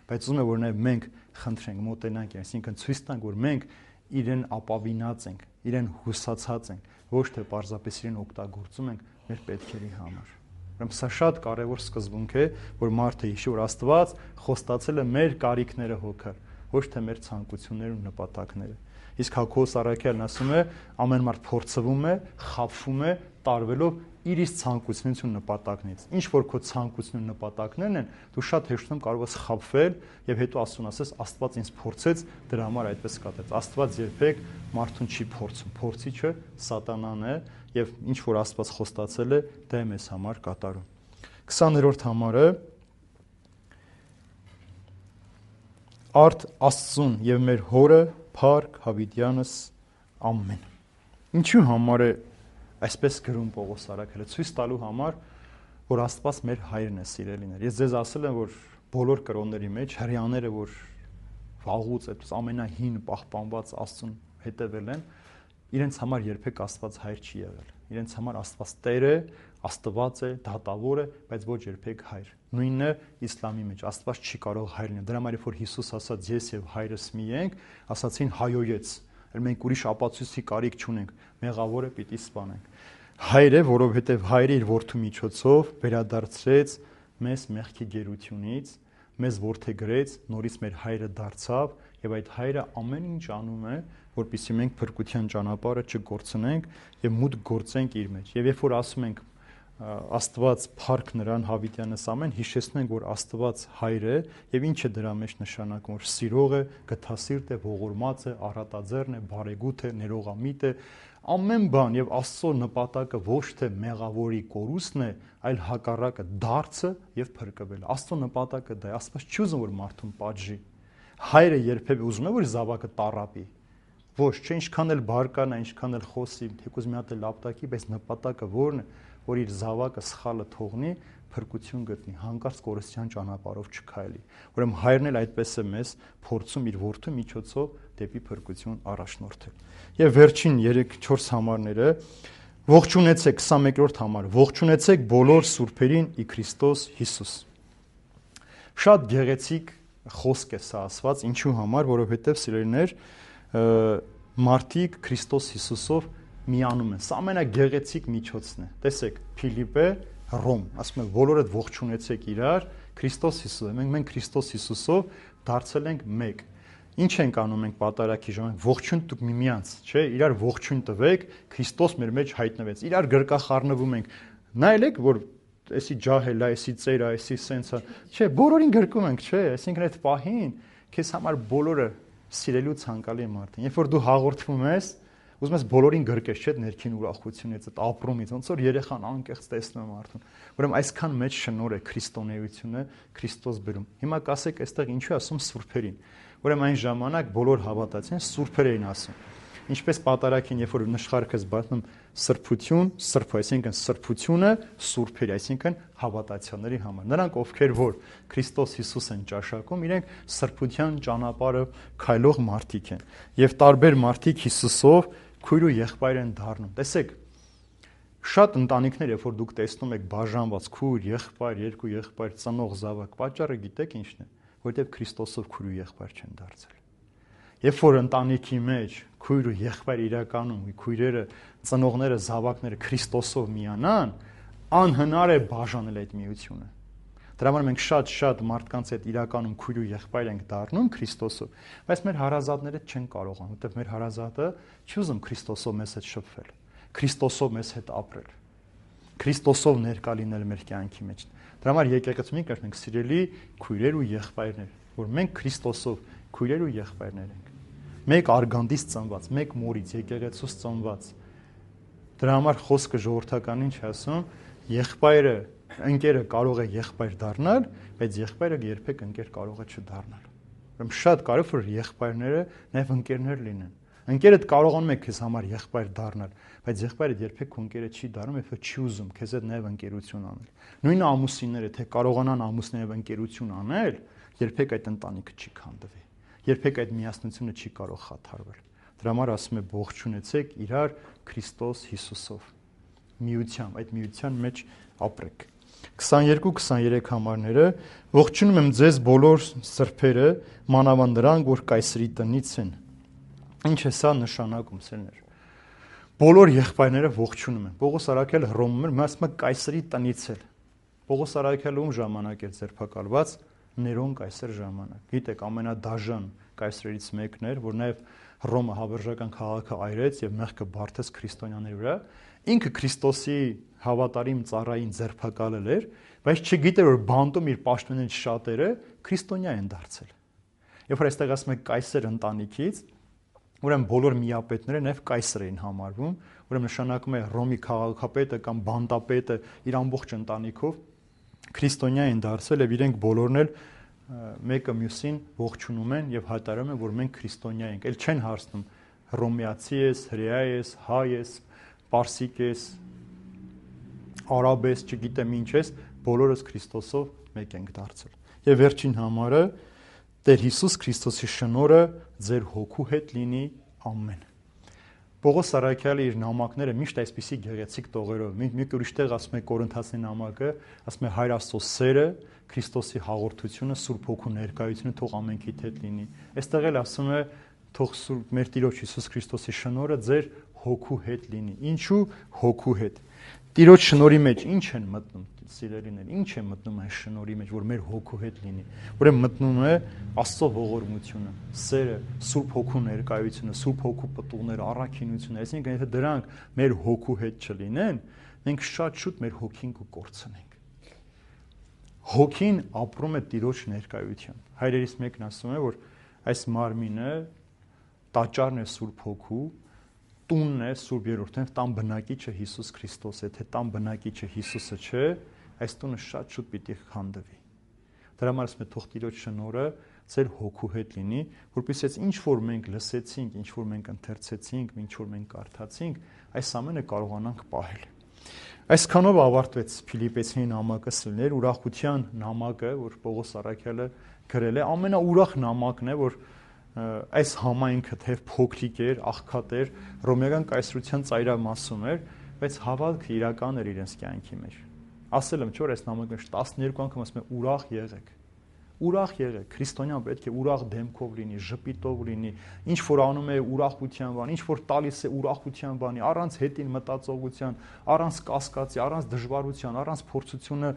բայց ուզում է, որ նաև մենք խնդրենք, մոտենանք, այսինքն ցույց տանք, որ մենք իրեն ապավինած ենք, իրեն հուսացած ենք, ոչ թե պարզապես իրեն օգտագործում ենք մեր պետքերի համար։ Ուրեմն սա շատ կարևոր սկզբունք է, որ մարդը հիշի, որ Աստված խոստացել է մեր կարիքները հոգալ, ոչ թե մեր ցանկությունները ու նպատակները։ Իսկ Հակոբոս առաքյալն ասում է, ամեն մարդ փորձվում է, խաբվում է, տարվելով իր իր ցանկությունից ու նպատակներից։ Ինչ որ քո ցանկությունն ու նպատակներն են, դու շատ հեշտում կարող ես խաբվել եւ հետո Աստծուն ասես, Աստված ինձ փորձեց, դրա համար այդպես կատարեց։ Աստված երբեք մարդուն չի փորձում, փորձիչը սատանան է եւ ինչ որ Աստված խոստացել է, դա է մեզ համար կատարում։ քսաներորդ համարը Արդ Աստծուն եւ մեր հորը Փառք Հավիտյանս ամեն։ Ինչու համար է այսպես գրում Պողոս առաքյալը, ցույց տալու համար, որ Աստված մեր հայրն է, սիրելիներ։ Ես ձեզ ասել եմ, որ բոլոր կրոնների մեջ հрьяաները, որ վաղուց այդպես ամենահին պահպանված Աստծուն հետևել են, իրենց համար երբեք Աստված հայր չի եղել։ Իրենց համար Աստված Տեր է, Աստված է, դատավոր է, բայց ոչ երբեք հայր։ Նույնը իսլամի մեջ Աստված չի կարող հայր լինել։ Դրա համար որ Հիսուս ասաց ես եւ հայրս մի ենք, ասացին հայոյեց։ Էլ մենք ուրիշ ապացույցի կարիք չունենք, մեղավորը պիտի սպանենք։ Հայր է, որովհետև հայրը իր որդու միջոցով վերադարձրեց մեզ մեղքի գերությունից, մեզ որդեգրեց, նորից մեր հայրը դարձավ եւ այդ հայրը ամեն ինչ անում է, որպեսզի մենք փրկության ճանապարհը չգործնենք եւ մուտք գործենք իր մեջ։ Եվ երբ որ ասում ենք Աստված փառք նրան Հավիտյանս ամեն, հիշեցնում ենք, որ Աստված հայր է եւ ինչ է դրա մեջ նշանակում, որ սիրող է, գթասիրտ է, ողորմած է, առատաձեռն է, բարեգութ է, ներողամիտ է, ամեն բան եւ Աստծո նպատակը ոչ թե մեղավորի կորուստն է, այլ հակառակը դարձը եւ փրկվելը։ Աստծո նպատակը դա է, Աստված չի ուզում որ մարդուն պատժի։ Հայրը երբևէ ուզում է որ զավակը տառապի։ Ոչ, չէ, ինչքան էլ բարկանա, ինչքան էլ խոսի, թեկուզ մի հատ էլ ապտակի, բայց նպատակը ո՞րն է, որ իր զավակը սխալը թողնի, փրկություն գտնի, հանկարծ կորստյան ճանապարհով չքայլի։ Ուրեմն հայրն էլ այդպես է մեզ փորձում իր որդու միջոցով դեպի փրկություն առաջնորդել։ Եվ վերջին երեք չորս համարները ողջունեցեք քսանմեկրորդ համար, ողջունեցեք բոլոր սուրբերին ի Քրիստոս Հիսուս։ Շատ գեղեցիկ խոսք է սա ասված, ինչու համար, որովհետև սիրելիներ, մարդիկ Քրիստոս Հիսուսով միանում են։ Սա ամենագեղեցիկ միջոցն է։ Տեսեք, Փիլիպպե, Ռոմ, ասում է բոլորդ ողջունեցեք իրար Քրիստոս Հիսուսով։ Մենք մենք Քրիստոս Հիսուսով դարձել ենք մեկ։ Ինչ ենք անում մենք պատարագի ժամանակ, ողջույն տուք միմյանց, չէ, իրար ողջույն տվեք, Քրիստոս մեր մեջ հայտնվեց։ Իրար գրկախառնվում ենք։ Նայեք, որ էսի ջահել է, էսի ծեր է, էսի սենցա, չէ, բոլորին գրկում ենք, չէ, այսինքն այդ պահին քեզ համար բոլորը սիրելու ցանկալի մարդ են։ Երբ որ դու հաղորդվում ես, ուզում ես բոլորին գրկես, չէ, ներքին ուրախությունից, այդ ապրումից, ոնց որ երեխան անկեղծ տեսնում է մարդուն։ Ուրեմն այսքան մեծ շնորհ է քրիստոնեությունը Քրիստոս բերում։ Հիմա կասեք, այստեղ ինչու ասում սուրբերին։ Ուրեմն այն ժամանակ բոլոր հավատացին սուրբեր էին ասում։ Ինչպես պատարագին, երբ որ նշխարքս բացնում սրբություն, սրբ, այսինքն սրբությունը սուրբերի, այսինքն հավատացյալների համար։ Նրանք, ովքեր որ Քրիստոս Հիսուս են ճաշակում, իրենք սրբության ճանապարհը քայլող մարդիկ են։ Եվ տարբեր մարդիկ Հիսուսով քույր ու եղբայր են դառնում։ Տեսեք, շատ ընտանիքներ, երբ որ դուք տեսնում եք բաժանված քույր, եղբայր, երկու եղբայր, ծնող զավակ, պատճառը գիտեք ի՞նչն է, որովհետև Քրիստոսով քույր ու եղբայր չեն դարձել։ Երբ որ ընտանիքի մեջ քույր ու եղբայր իրականում քույրերը, ծնողները, զավակները Քրիստոսով միանան, անհնար է բաժանել այդ միությունը։ Դրա համար մենք շատ-շատ մարդկանց հետ իրականում քույր ու եղբայր ենք դառնում Քրիստոսով, բայց մեր հարազատները չեն կարողանում, որովհետև մեր հարազատը չի ուզում Քրիստոսով մեզ հետ շփվել, Քրիստոսով մեզ հետ ապրել, Քրիստոսով ներկա լինել մեր կյանքի մեջ։ Դրա համար եկեղեցու մենք ասենք սիրելի քույրեր ու եղբայրներ, որ մենք Քրիստոսով քույրեր ու եղբայրներ ենք։ Մեկ արգանդից ծնված, մեկ մորից եկեղեցուց ծնված։ Դրա համար խոսքը ժողովրդականին չի ասում, եղբայրը, ընկերը կարող է եղբայր դառնալ, բայց եղբայրը երբեք ընկեր կարող է չդառնալ։ Ուրեմն շատ կարևոր է որ եղբայրները նաև ընկերներ լինեն։ Ընկերդ կարողանում է քեզ համար եղբայր դառնալ, բայց եղբայրը երբեք քո ընկերը չի դառնում, երբ չի ուզում քեզ հետ նաև ընկերություն անել։ Նույն ամուսինները, թե կարողանան ամուսներով ընկերություն անել, երբեք այդ ընտանիքը չի քանդվի։ Երբեք այդ միասնությունը չի կարող խաթարվել։ Դրա համար ասում է ողջունեցեք իրար Քրիստոս Հիսուսով։ Միությամբ, այդ միության մեջ ապրեք։ քսաներկու քսաներեք համարները ողջունում եմ ձեզ բոլոր սրբերը, մանավանդ նրանք, որ կայսրի տնից են։ Ինչ է սա նշանակում, սերներ։ Բոլոր եղբայրները ողջունում են։ Պողոս Արաքելը Հռոմում էր, ասում է կայսրի տնից էլ։ Պողոս Արաքելը ում ժամանակ էր ձերբակալված։ Ներոն կայսր ժամանակ։ Գիտեք, ամենադաժան կայսրերից մեկն էր, որ նաև Հռոմը հավերժական քաղաքը այրեց եւ մեղքը բարթեց քրիստոնյաների վրա։ Ինքը Քրիստոսի հավատարիմ ծառային ձերբակալել էր, բայց չգիտեր որ բանտում իր պաշտոններից շատերը քրիստոնյա են դարձել։ Երբ որ այստեղ ասում է կայսր ընտանիքից, ուրեմն բոլոր միապետները նաև կայսր էին համարվում, ուրեմն նշանակում է Հռոմի քաղաքապետը կամ բանտապետը իր ամբողջ ընտանիքով քրիստոնյա են դարձել եւ իրենք բոլորն էլ մեկը մյուսին ողջունում են եւ հայտարարում են որ մենք քրիստոնյա ենք։ Էլ չեն հարցնում հռոմեացի ես, հրեա ես, հայ ես, պարսիկ ես, արաբ ես, չգիտեմ ինչ ես, բոլորս Քրիստոսով մեկ ենք դարձել։ Եվ վերջին համարը Տեր Հիսուս Քրիստոսի շնորհը ձեր հոգու հետ լինի, ամեն։ Պողոս Արաքյալը իր նամակները միշտ այսպիսի գեղեցիկ տողերով, մի ուրիշ տեղ ասում է Կորինթացի նամակը, ասում է Հայր Աստծո սերը, Քրիստոսի հաղորդությունը, Սուրբ Հոգու ներկայությունը թող ամենքիդ հետ լինի։ Այստեղ էլ ասում է թող Սուրբ մեր Տիրոջ Հիսուս Քրիստոսի շնորհը ձեր հոգու հետ լինի։ Ինչու հոգու հետ։ Տիրոջ շնորհի մեջ ինչ են մտնում սիրելիներ, ինչ է մտնում այս շնորհի մեջ, որ մեր հոգու հետ լինի։ Ուրեմն մտնում է Աստծո ողորմությունը, սերը, Սուրբ Հոգու ներկայությունը, Սուրբ Հոգու պտուղները, առաքինությունը, այսինքն եթե դրանք մեր հոգու հետ չլինեն, մենք շատ շուտ մեր հոգին կկորցնենք։ Հոգին ապրում է Տիրոջ ներկայությամբ։ Հայրերից մեկն ասում է, որ այս մարմինը տաճարն է Սուրբ Հոգու, տունն է Սուրբ Երրորդն, տան բնակիչը Հիսուս Քրիստոս է, թե տան բնակիչը Հիսուսը չէ, այս տունը շատ շուտ պիտի քանդվի։ Դրա համար ասում է թող Տիրոջ շնորհը ձեր հոգու հետ լինի, որպեսզի այս ինչ որ մենք լսեցինք, ինչ որ մենք ընթերցեցինք, ինչ որ մենք կարդացինք, այս ամենը կարողանանք պահել։ Այսքանով ավարտվեց Փիլիպպեցիների նամակը, սիրելիներ, ուրախության նամակը, որ Պողոս առաքյալը գրել է, ամենաուրախ նամակն է, որ այս համայնքը թեև փոքրիկ էր, աղքատ էր, ռոմեական կայսրության ծայրամասում էր, բայց հավատքը իրական էր իրենց կյանքի մեջ։ Ասել եմ, չէ՞ որ այս նամակը տասներկու անգամ ասում է ուրախ եղեք։ Ուրախ եղեք, քրիստոնյան պետք է ուրախ դեմքով լինի, ժպիտով լինի, ինչ որ անում է ուրախության բան, ինչ որ տալիս է ուրախության բանի, առանց հետին մտածողության, առանց կասկածի, առանց դժվարության, առանց փորձությունը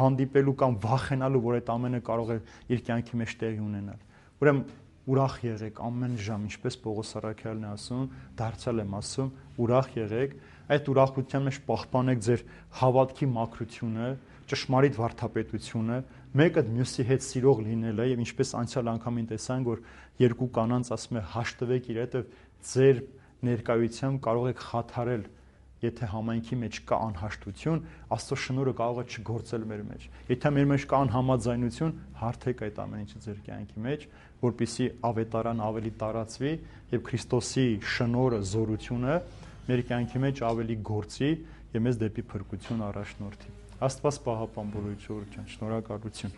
հանդիպելու կամ վախենալու, որ այդ ամենը կարող է իր կյանքի մեջ տեղի ունենալ։ Ուրեմն ուրախ եղեք ամեն ժամ, ինչպես Պողոս առաքյալն է ասում, դարձյալ եմ ասում, ուրախ եղեք, այդ ուրախության մեջ պահպանեք ձեր հավատքի մաքրությունը, ճշմարիտ վարդապետությունը, մեկը մյուսի հետ սիրող լինելը, եւ ինչպես անցյալ անգամին տեսանք, որ երկու կանանց ասում է հաշտվեք իր հետ, ձեր ներկայությամբ կարող եք խաթարել, եթե համայնքի մեջ կա անհաշտություն, Աստծո շնորհը կարող է չգործել մեր մեջ։ Եթե մեր մեջ կա անհամաձայնություն, հարթեք այդ ամեն ինչը ձեր կյանքի մեջ, որպեսզի ավետարան ավելի տարածվի եւ Քրիստոսի շնորհը, զորությունը մեր կյանքի մեջ ավելի գործի եւ մեզ դեպի փրկություն առաջնորդի։ Աստված պահապան բոլորի ժողովրդին, շնորհակալություն։